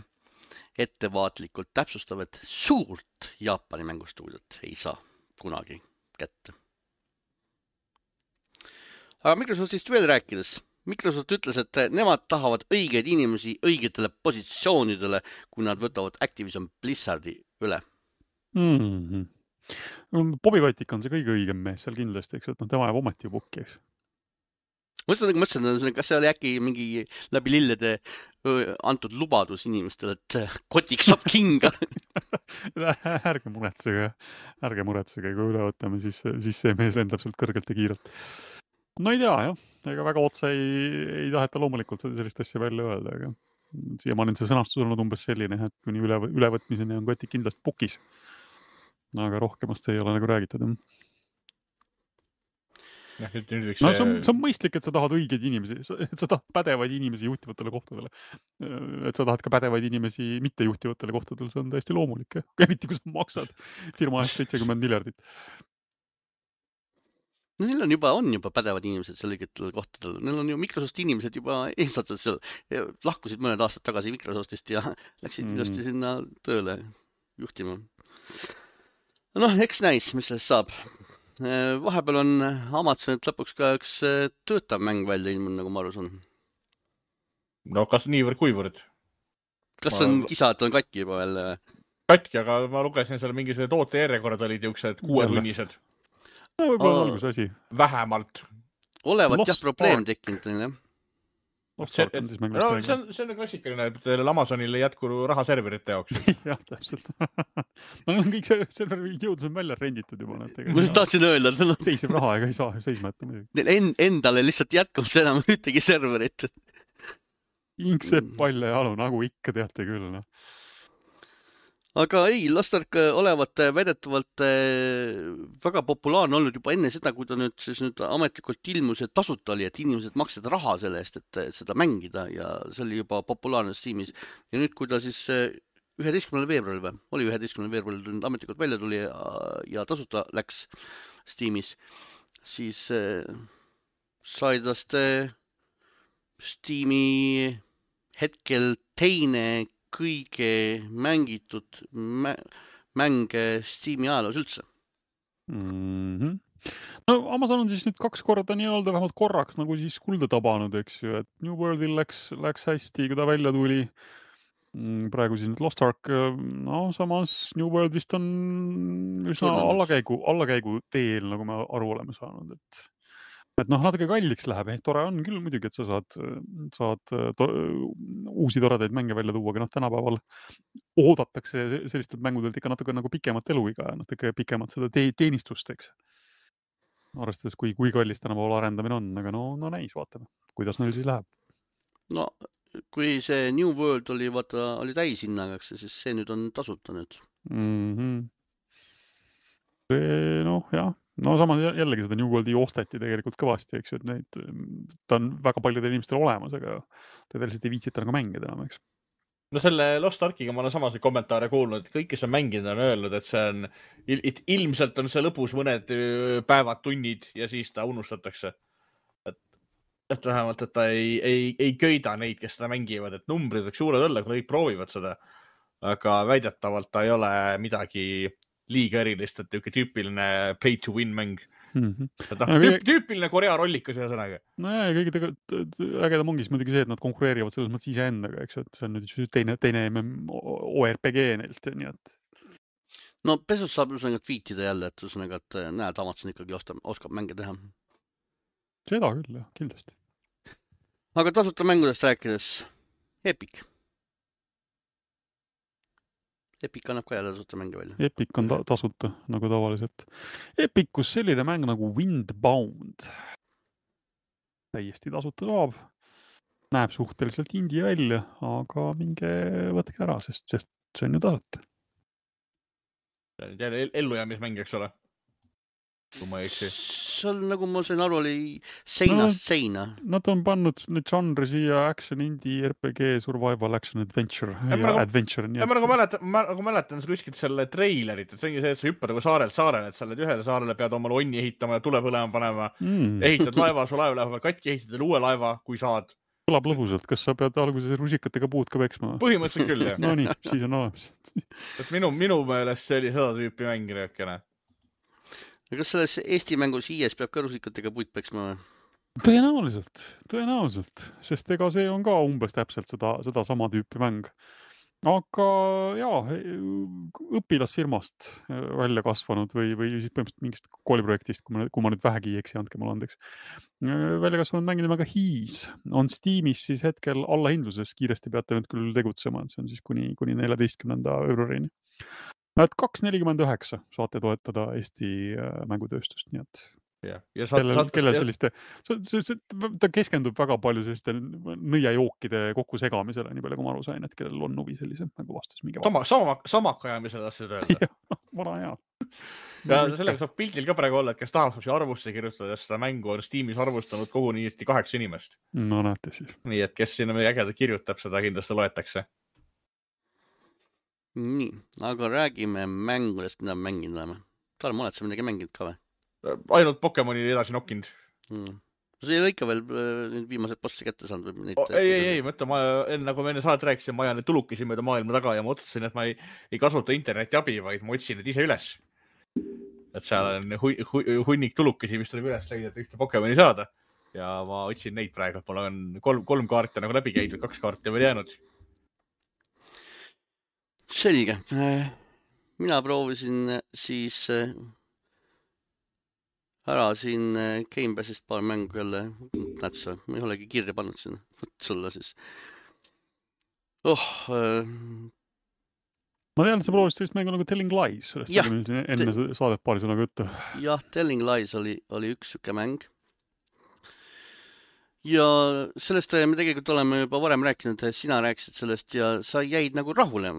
ettevaatlikult täpsustav, et suurt Jaapani mängustuudiot ei saa kunagi kätte. Aga Microsoftist veel rääkides, Microsoft ütles, et nemad tahavad õigeid inimesi õigetele positsioonidele, kui nad võtavad Activision Blizzardi üle. Bobby Kotick on see kõige õigem mees seal kindlasti, eks, et tema jääb ometi ju pukki, eks. Mõtlesin, kas see oli äkki mingi läbi lillede antud lubadus inimestele, et Kotick saab kinga. ärge muretsege, kui üle võtame, siis see mees lendab sealt kõrgelt ja kiirelt. No ei tea, jah. Ega väga otse ei taheta loomulikult sellist asja välja öelda, aga siiamaani see sõnastus on olnud umbes selline, et kuni ülevõtmiseni on Kotick kindlasti pukis. Aga rohkemast ei ole nagu räägitud. See on mõistlik, et sa tahad õigeid inimesi, et sa tahad pädevaid inimesi juhtivatele kohtadele. Et sa tahad ka pädevaid inimesi mitte juhtivatele kohtadele, see on täiesti loomulik. Eriti kui sa maksad firma eest 70 miljardit. No neil on juba pädevad inimesed seal õigetel kohtadel. Neil on ju Microsofti inimesed juba eesotsad seal. Lahkusid mõned aastad tagasi Microsoftist ja läksid ilusti sinna tööle juhtima. Noh, eks näis, mis sellest saab. Vahepeal on Amazonit lõpuks ka üks töötav mäng välja ilmunud, nagu ma aru saan. No kas niivõrd kuivõrd? Kas on kisa, et on katki juba veel? Katki, aga ma lugesin seal mingisugused toote järjekorrad olid jõuksed 6-tunnised. No võib-olla on alguse asi. Vähemalt. Olevat jah probleem tekkinud. See on klassikaline, et Amazonil ei jätku raha serverite jaoks. Jah, täpselt. Meil on kõik serveri jõudus on välja renditud juba. Ma tahtsin öelda. Seisev raha ega ei saa seisma jätta. Neil endale lihtsalt jätkub enam ühtegi serverit. Inksepp palja jalu, nagu ikka teate küll. No. Aga ei, Lost Ark olevat väidetavalt väga populaarne olnud juba enne seda, kui ta nüüd ametlikult ilmus, et tasuta oli, et inimesed maksid raha selle eest, et seda mängida ja see oli juba populaarne Steamis. Ja nüüd, kui ta siis 11. veebruaril oli 11. veebruaril ametlikult välja tuli ja tasuta läks Steamis, siis sai tast Steami hetkel teine kõige mängitud mänge Steam'i ajaloos üldse. No Amazon on siis nüüd 2 korda nii-öelda vähemalt korraks nagu siis kulda tabanud, eks ju, et New Worldil läks hästi, kui ta välja tuli. Praegu siis nüüd Lost Ark, no samas New World vist on üsna allakäigu teel, nagu me aru oleme saanud, et noh, natuke kalliks läheb, tore on küll muidugi, et sa saad uusi toredaid mänge välja tuua, aga tänapäeval oodatakse sellistelt mängudelt ikka natuke nagu pikemat eluiga ja natuke pikemat seda teenistust, eks. Arvestades, kui kallis tänapäeval arendamine on, aga no näis, vaatame, kuidas neil siis läheb. No, kui see New World oli täishinnaga, siis see nüüd on tasuta nüüd. Noh, jah. No samas jällegi seda New Worldi osteti tegelikult kõvasti, eks ju, et ta on väga paljudel inimestel olemas, aga tegelikult ei viitsita nagu mängida enam, eks. No selle Lost Arkiga ma olen samaseid kommentaare kuulnud, et kõik, kes on mänginud, on öelnud, et see on, ilmselt on see lõpus mõned päevad, tunnid ja siis ta unustatakse. Et vähemalt, et ta ei köida neid, kes seda mängivad, et numbrid võiks suured olla, kui kõik proovivad seda. Aga väidetavalt ta ei ole midagi liiga erilist, et tüüpiline pay to win mäng. Tüüpiline Korea rollikas ühe sõnaga. No ja kõige ägedam ongi muidugi see, et nad konkureerivad selles mõttes iseendaga, eks, et see on nüüd teine ORPG neilt, nii et. No pesus saab üsnäga tweetida jälle, et üsnäga, et näed, Amazon ikkagi oskab mänge teha. Seda küll, jah, kindlasti. Aga tasuta mängudest rääkides, Epic annab ka jälle tasuta mänge välja. Epic on tasuta, nagu tavaliselt. Epicus selline mäng nagu Windbound. Täiesti tasuta saab. Näeb suhteliselt indie välja, aga minge võtke ära, sest see on ju tasuta. Jälle ellujäämismäng, eks ole? Kui ma ei eksi. Seal, nagu ma sain aru, oli seinast seina. Nad on pannud nüüd žanri siia action, indie, RPG, survival, action, adventure. Ma mäletan kuskilt selle treilerit, et see ongi see, et sa hüppad nagu saarelt saarele, et sa oled ühele saarele, pead omale onni ehitama ja tule põlema panema. Ehitad laeva, su laev läheb katki, ehitad uue laeva, kui saad. Kõlab lõbusalt, kas sa pead alguses rusikatega puud ka peksma? Põhimõtteliselt küll, jah. No nii, siis on olemas. Minu meelest see oli seda tüüpi mäng röökene. Kas selles Eesti mängus IS peab ka rusikatega puid peksma või? Tõenäoliselt, sest ega see on ka umbes täpselt seda sama tüüpi mäng. Aga jaa, õpilasfirmast välja kasvanud või siis põhimõtteliselt mingist kooliprojektist, kui ma nüüd vähegi ei eksi, andke mulle andeks. Välja kasvanud mäng nimega Hees on Steamis siis hetkel allahindluses, kiiresti peate nüüd küll tegutsema, et see on siis kuni 14. veebruarini. Et 2.49 saate toetada Eesti mängutööstust, nii et kellel selliste, ta keskendub väga palju selliste nõiajookide kokkusegamisele, nii palju kui ma aru sain, et kellel on huvi sellise mängu vastus. Samakajamisele tahtsid öelda. Vana hea. Ja sellega saab pildil ka praegu olla, et kes tahab arvusse kirjutada, seda mängu on Steamis arvustanud koguni 8 inimest. No näete siis. Nii, et kes sinna meie ägeda kirjutab, seda kindlasti loetakse. Nii, aga räägime mängudest, mida mänginud oleme. Tarmo, oled sa midagi mänginud ka või? Ainult Pokemoni edasi nokkinud. See ei ole ikka veel viimased bossi kätte saanud? Ei, mõtle, nagu me enne saadet rääkisin, ma ajan need tulukesi mööda maailma taga ja ma otsustasin, et ma ei kasuta interneti abi, vaid ma otsin need ise üles. Et seal on hunnik tulukesi, mis tuleb üles leida, et ühte Pokemoni saada. Ja ma otsin neid praegu, et mul on 3 kaarti nagu läbi käidud, 2 kaarti on veel jäänud. Selge. Mina proovisin siis ära siin Gamepassist paar mängu jälle nätsa. Ma ei olegi kirja pannud sinna. Võt sulle siis. Ma tean, et sa proovisid sellist mängu nagu Telling Lies. Enne saadet paari sõnaga juttu. Jah, Telling Lies oli üks süke mäng. Ja sellest me tegelikult oleme juba varem rääkinud, sina rääkisid sellest ja sa jäid nagu rahule.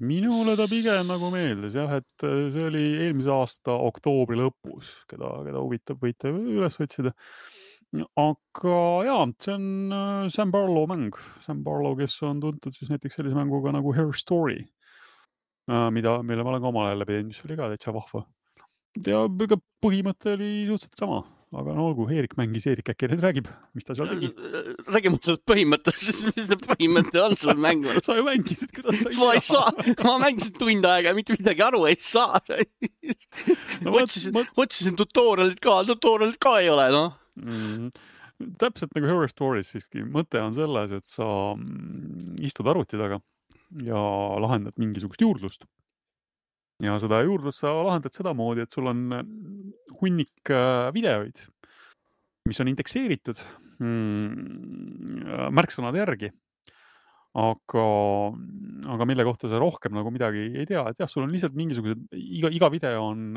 Minule ta pigem nagu meeldis, jah, et see oli eelmise aasta oktoobri lõpus, keda huvitab, võite üles otsida. Aga jaa, see on Sam Barlow mäng. Sam Barlow, kes on tuntud siis näiteks sellise mänguga nagu Her Story, mille ma olen ka omal ajal läbi teinud, mis oli ka täitsa vahva. Ja põhimõte oli suhteliselt sama. Aga no olgu, Eerik mängis, Eerik äkki nüüd räägib, mis ta seal tegi. Räägime sellest põhimõttest, mis see põhimõte on sellel mängul. Sa ju mängisid, kuidas sa ma mängisin tund aega ja mitte midagi aru ei saa. Otsisin tutorialit ka ei ole, noh. Täpselt nagu Horror Stories siiski. Mõte on selles, et sa istud arvuti taga ja lahendad mingisugust juurdlust. Ja seda juurdlust sa lahendad seda moodi, et sul on hunnik videoid, mis on indekseeritud märksõnade järgi, aga mille kohta sa rohkem nagu midagi ei tea. Et jah, sul on lihtsalt mingisugused, iga video on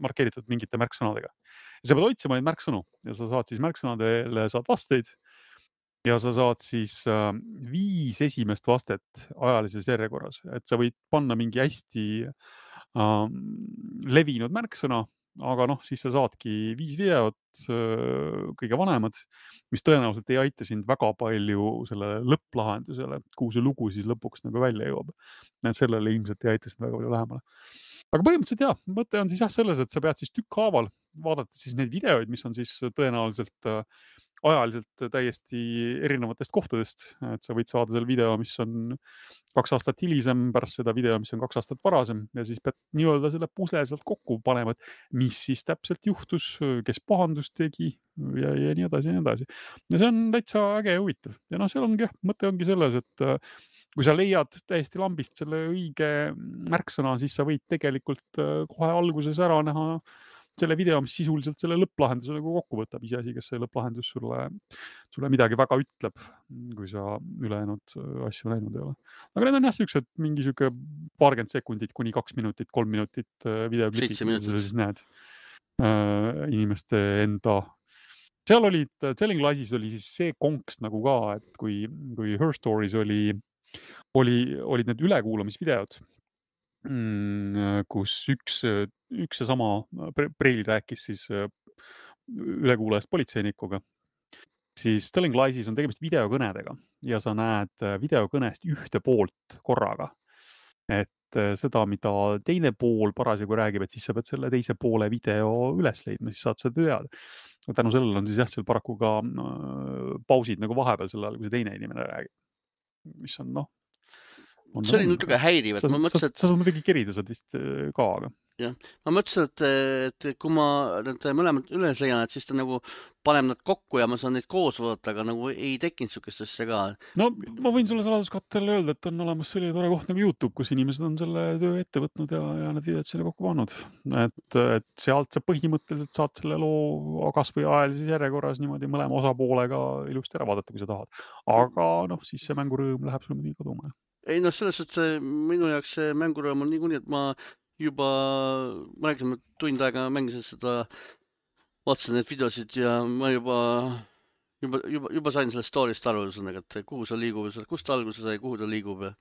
markeeritud mingite märksõnadega. Ja sa pead otsima neid märksõnu ja sa saad siis märksõnadele saad vasteid ja sa saad siis 5 esimest vastet ajalises järjekorras, et sa võid panna mingi hästi levinud märksõna, aga noh, siis sa saadki 5 videot, kõige vanemad, mis tõenäoliselt ei aita sind väga palju selle lõpplahendusele, kuhu see lugu siis lõpuks nagu välja jõuab. Sellele ilmselt ei aita sind väga palju lähemale. Aga põhimõtteliselt jah, mõte on siis jah selles, et sa pead siis tükkhaaval vaadata siis neid videoid, mis on siis tõenäoliselt ajaliselt täiesti erinevatest kohtadest, et sa võid saada selle video, mis on 2 aastat hilisem, pärast seda video, mis on 2 aastat varasem ja siis pead nii-öelda selle pusle sealt kokku panema, et mis siis täpselt juhtus, kes pahandust tegi ja nii edasi ja nii edasi. Ja see on täitsa äge ja huvitav. Ja noh, seal ongi jah, mõte ongi selles, et kui sa leiad täiesti lambist selle õige märksõna, siis sa võid tegelikult kohe alguses ära näha selle video, mis sisuliselt selle lõpplahenduse nagu kokku võtab, iseasi, kes see lõpplahendus sulle midagi väga ütleb, kui sa ülejäänud asju näinud ei ole. Aga need on jah sellised mingi siuke 20 sekundit kuni 2 minutit, 3 minutit videoklipid, kus sa siis näed inimeste enda. Seal olid, Telling Liesis oli siis see konks nagu ka, et kui Her Stories olid need ülekuulamisvideod, kus üks ja sama Preili rääkis siis ülekuulajast politseinikuga, siis Telling Liesis on tegemist videokõnedega ja sa näed videokõnest ühte poolt korraga. Et seda, mida teine pool parasjagu räägib, et siis sa pead selle teise poole video üles leidma, siis saad seda teada. Tänu sellele on siis jah, seal paraku ka pausid nagu vahepeal selle ajal, kui see teine inimene räägib. Mis on see oli natuke häiriv, et ma mõtlesin, sa saad muidugi kerida, saad vist ka, aga. Jah, ma mõtlesin, et kui ma need mõlemad üles leian, et siis ta nagu paneb nad kokku ja ma saan neid koos vaadata, aga nagu ei tekkinud sukest asja ka. No ma võin sulle saladuskattel öelda, et on olemas selline tore koht nagu YouTube, kus inimesed on selle töö ette võtnud ja need videod sinna kokku pannud. Et sealt sa põhimõtteliselt saad selle loo kas või ajalises järjekorras niimoodi mõlema osapoolega ilusti ära vaadata, kui sa tahad. Aga noh, siis see mängurõõm läheb sulle muidugi kaduma. Ei noh, selles, et minu jaoks see mängurõõm on niikuinii, et ma rääkisin, et tund aega mängisin seda, vaatasin neid videosid ja ma juba sain sellest story'st aru, et kuhu see liigub, kust ta alguse sai, kuhu ta liigub ja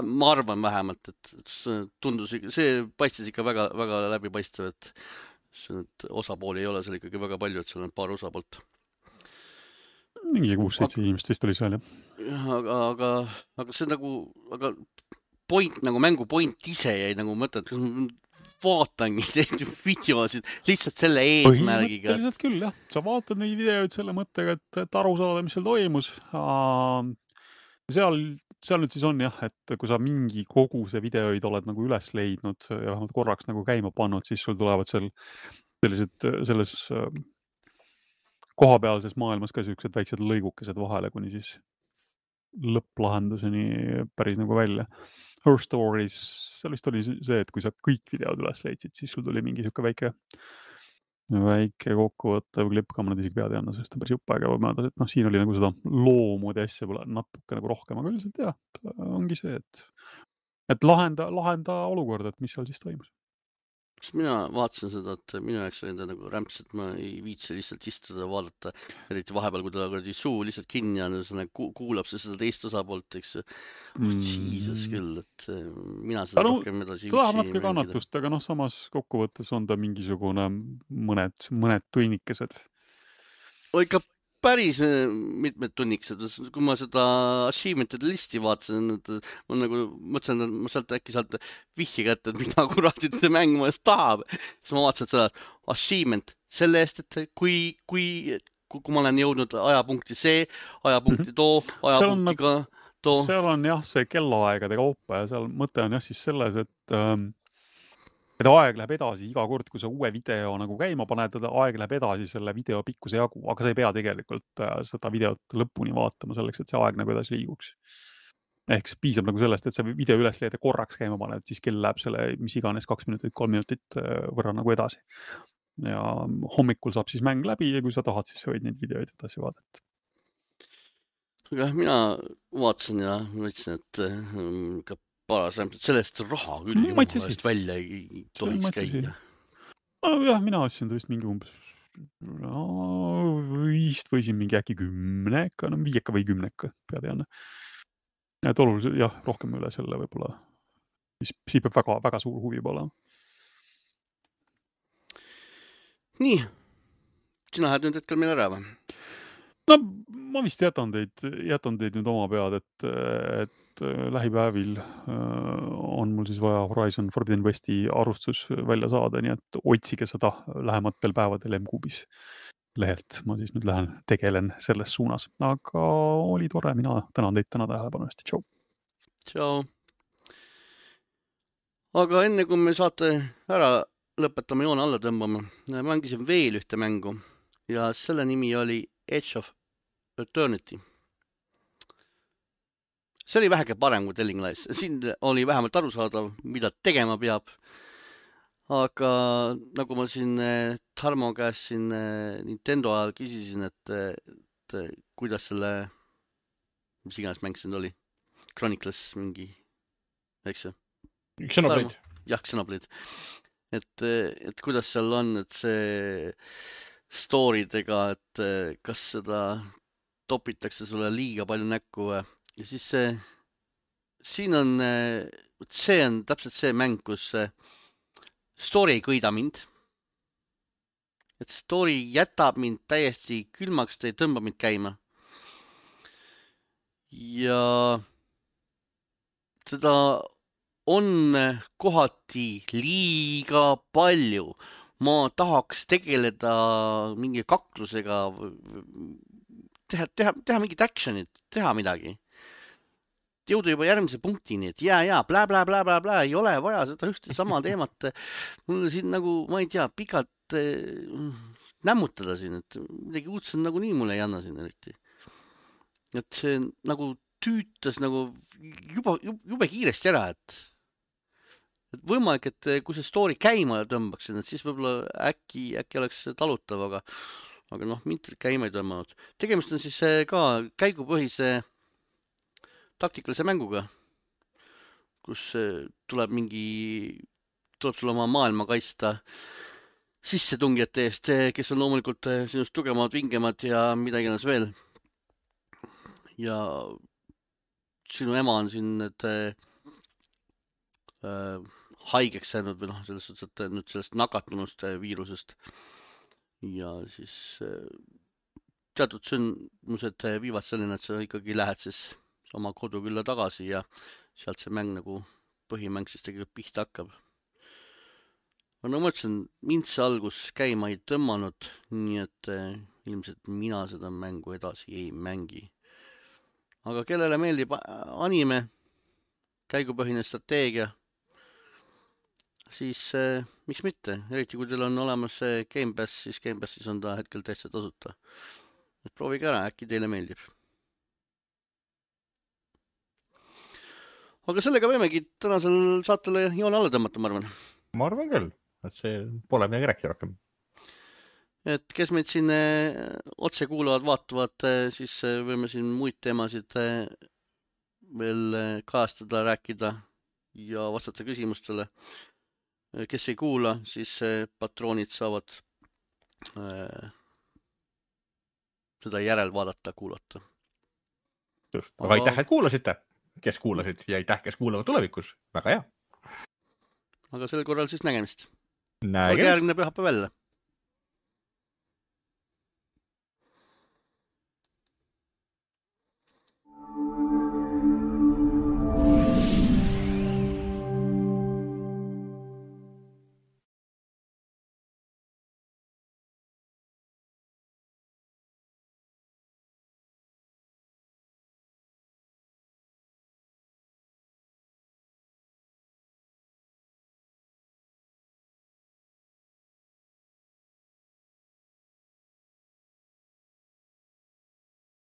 ma arvan vähemalt, et tundus, see paistis ikka väga, väga läbipaistev, et osapooli ei ole seal ikkagi väga palju, et seal on paar osapoolt. Mingi 6-7 inimest vist oli seal, jah. Aga see nagu, point, nagu mängu point ise jäi nagu mõtet, kas ma vaatangi neid videosid lihtsalt selle eesmärgiga. Põhimõtteliselt küll, jah. Sa vaatad neid videoid selle mõttega, et aru saada, mis seal toimus. Seal nüüd siis on jah, et kui sa mingi koguse videoid oled nagu üles leidnud ja vähemalt korraks nagu käima pannud, siis sul tulevad seal selles kohapealses maailmas ka sellised väiksed lõigukesed vahele, kuni siis lõpplahenduseni päris nagu välja. Her Stories, seal vist oli see, et kui sa kõik videod üles leidsid, siis sul tuli mingi siuke väike kokkuvõttev klipp, ka ma nad isegi pead ei anna, sest on päris jupp aega möödas, et noh, siin oli nagu seda loomoodi asja pole natuke nagu rohkem, aga üldiselt jah, ongi see, et lahenda olukorda, et mis seal siis toimus. Mina vaatasin seda, et minu jaoks oli ta nagu rämps, et ma ei viitsi lihtsalt istuda ja vaadata, eriti vahepeal, kui ta suu lihtsalt kinni on, kuulab see seda teist osapoolt, eks Jesus küll, et mina seda rohkem edasi ta tahab natuke kannatust, aga noh, samas kokkuvõttes on ta mingisugune mõned tunnikesed. Ikka päris mitmed tunnikesed, kui ma seda achievement'ide listi vaatasin, et ma nagu mõtlesin, et ma äkki sealt vihje kätte, et mida kuratid see mäng ma eest tahab. Siis ma vaatasin seda achievement selle eest, et kui ma olen jõudnud ajapunkti see, ajapunkti too, ajapunktiga too. Seal on jah see kellaaegade kaupa ja seal mõte on jah siis selles, et aeg läheb edasi iga kord, kui sa uue video nagu käima paned, aeg läheb edasi selle video pikkuse jagu, aga sa ei pea tegelikult seda videot lõpuni vaatama selleks, et see aeg nagu edasi liiguks. Ehk piisab nagu sellest, et sa video üles leida korraks käima paned, siis kell läheb selle mis iganes 2 minutit, 3 minutit võrra nagu edasi. Ja hommikul saab siis mäng läbi ja kui sa tahad, siis sa võid neid videoid edasi vaadata. Aga mina vaatasin ja mõtlesin, et sellest raha küll jumalast välja ei tohiks käia. Jah, mina ostsin ta vist mingi umbes vist võisin mingi äkki 10, 5 või 10 pead ei anna. Et oluliselt jah, rohkem üle selle võib-olla. Siis peab väga, väga suur huvi pole. Nii, sina lähed nüüd hetkel meil ära või? No ma vist jätan teid nüüd oma pead, et lähipäevil on mul siis vaja Horizon Forbidden Westi arvustus välja saada, nii et otsige seda lähematel päevadel M-Kuubis lehelt. Ma siis nüüd tegelen selles suunas. Aga oli tore, mina tänan teid täna tähelepanu eest. Tšau. Tšau. Aga enne kui me saate ära lõpetame joone alla tõmbama, mängisin veel ühte mängu ja selle nimi oli Edge of Eternity. See oli väheke parem kui Telling Lies. Siin oli vähemalt arusaadav, mida tegema peab. Aga nagu ma siin Tarmo käest siin Nintendo ajal küsisin, et kuidas selle, mis iganes mäng siin oli, Chronicles mingi, eks see? Xenoblade. Jah, Xenoblade. Et kuidas seal on, et see story'dega, et kas seda topitakse sulle liiga palju näkku või? Ja siis siin on, see on täpselt see mäng, kus story ei kõida mind. Et story jätab mind täiesti külmaks, ta ei tõmba mind käima. Ja seda on kohati liiga palju. Ma tahaks tegeleda mingi kaklusega, teha mingit actionit, teha midagi. jõuda juba järgmise punktini, et ja, bla, ei ole vaja seda ühte sama teemat. Mul siin nagu, ma ei tea, pikalt nämmutada siin, et midagi uudset nagunii mulle ei anna siin eriti. Et see nagu tüütas nagu jube kiiresti ära, et võimalik, et kui see story käima tõmbaksin, et siis võib-olla äkki oleks talutav, aga noh, mind käima ei tõmmanud. Tegemist on siis ka käigupõhise taktikalise mänguga, kus tuleb sul oma maailma kaitsta sissetungijate eest, kes on loomulikult sinust tugevamad, vingemad ja mida iganes veel. Ja sinu ema on siin need haigeks jäänud või noh, selles suhtes, et nüüd sellest nakatunust viirusest. Ja siis teatud sündmused viivad selline, et sa ikkagi lähed siis oma kodukülla tagasi ja sealt see mäng nagu põhimäng siis tegelikult pihta hakkab. No ma mõtlesin, mind see algus käima ei tõmmanud, nii et ilmselt mina seda mängu edasi ei mängi. Aga kellele meeldib anime, käigupõhine strateegia, siis miks mitte? Eriti kui teil on olemas Game Pass, siis Game Passis on ta hetkel täitsa tasuta. Et proovige ära, äkki teile meeldib. Aga sellega võimegi tänasel saatele joone alla tõmmata, ma arvan. Ma arvan küll, et see pole midagi rääkida rohkem. Et kes meid siin otse kuulavad, vaatavad, siis võime siin muid teemasid veel kajastada, rääkida ja vastata küsimustele. Kes ei kuula, siis patroonid saavad seda järel vaadata, kuulata. Aga aitäh, et kuulasite. Kes kuulasid ja aitäh, kes kuulavad tulevikus. Väga hea. Aga sel korral siis nägemist. Olge järgmine pühapäev jälle.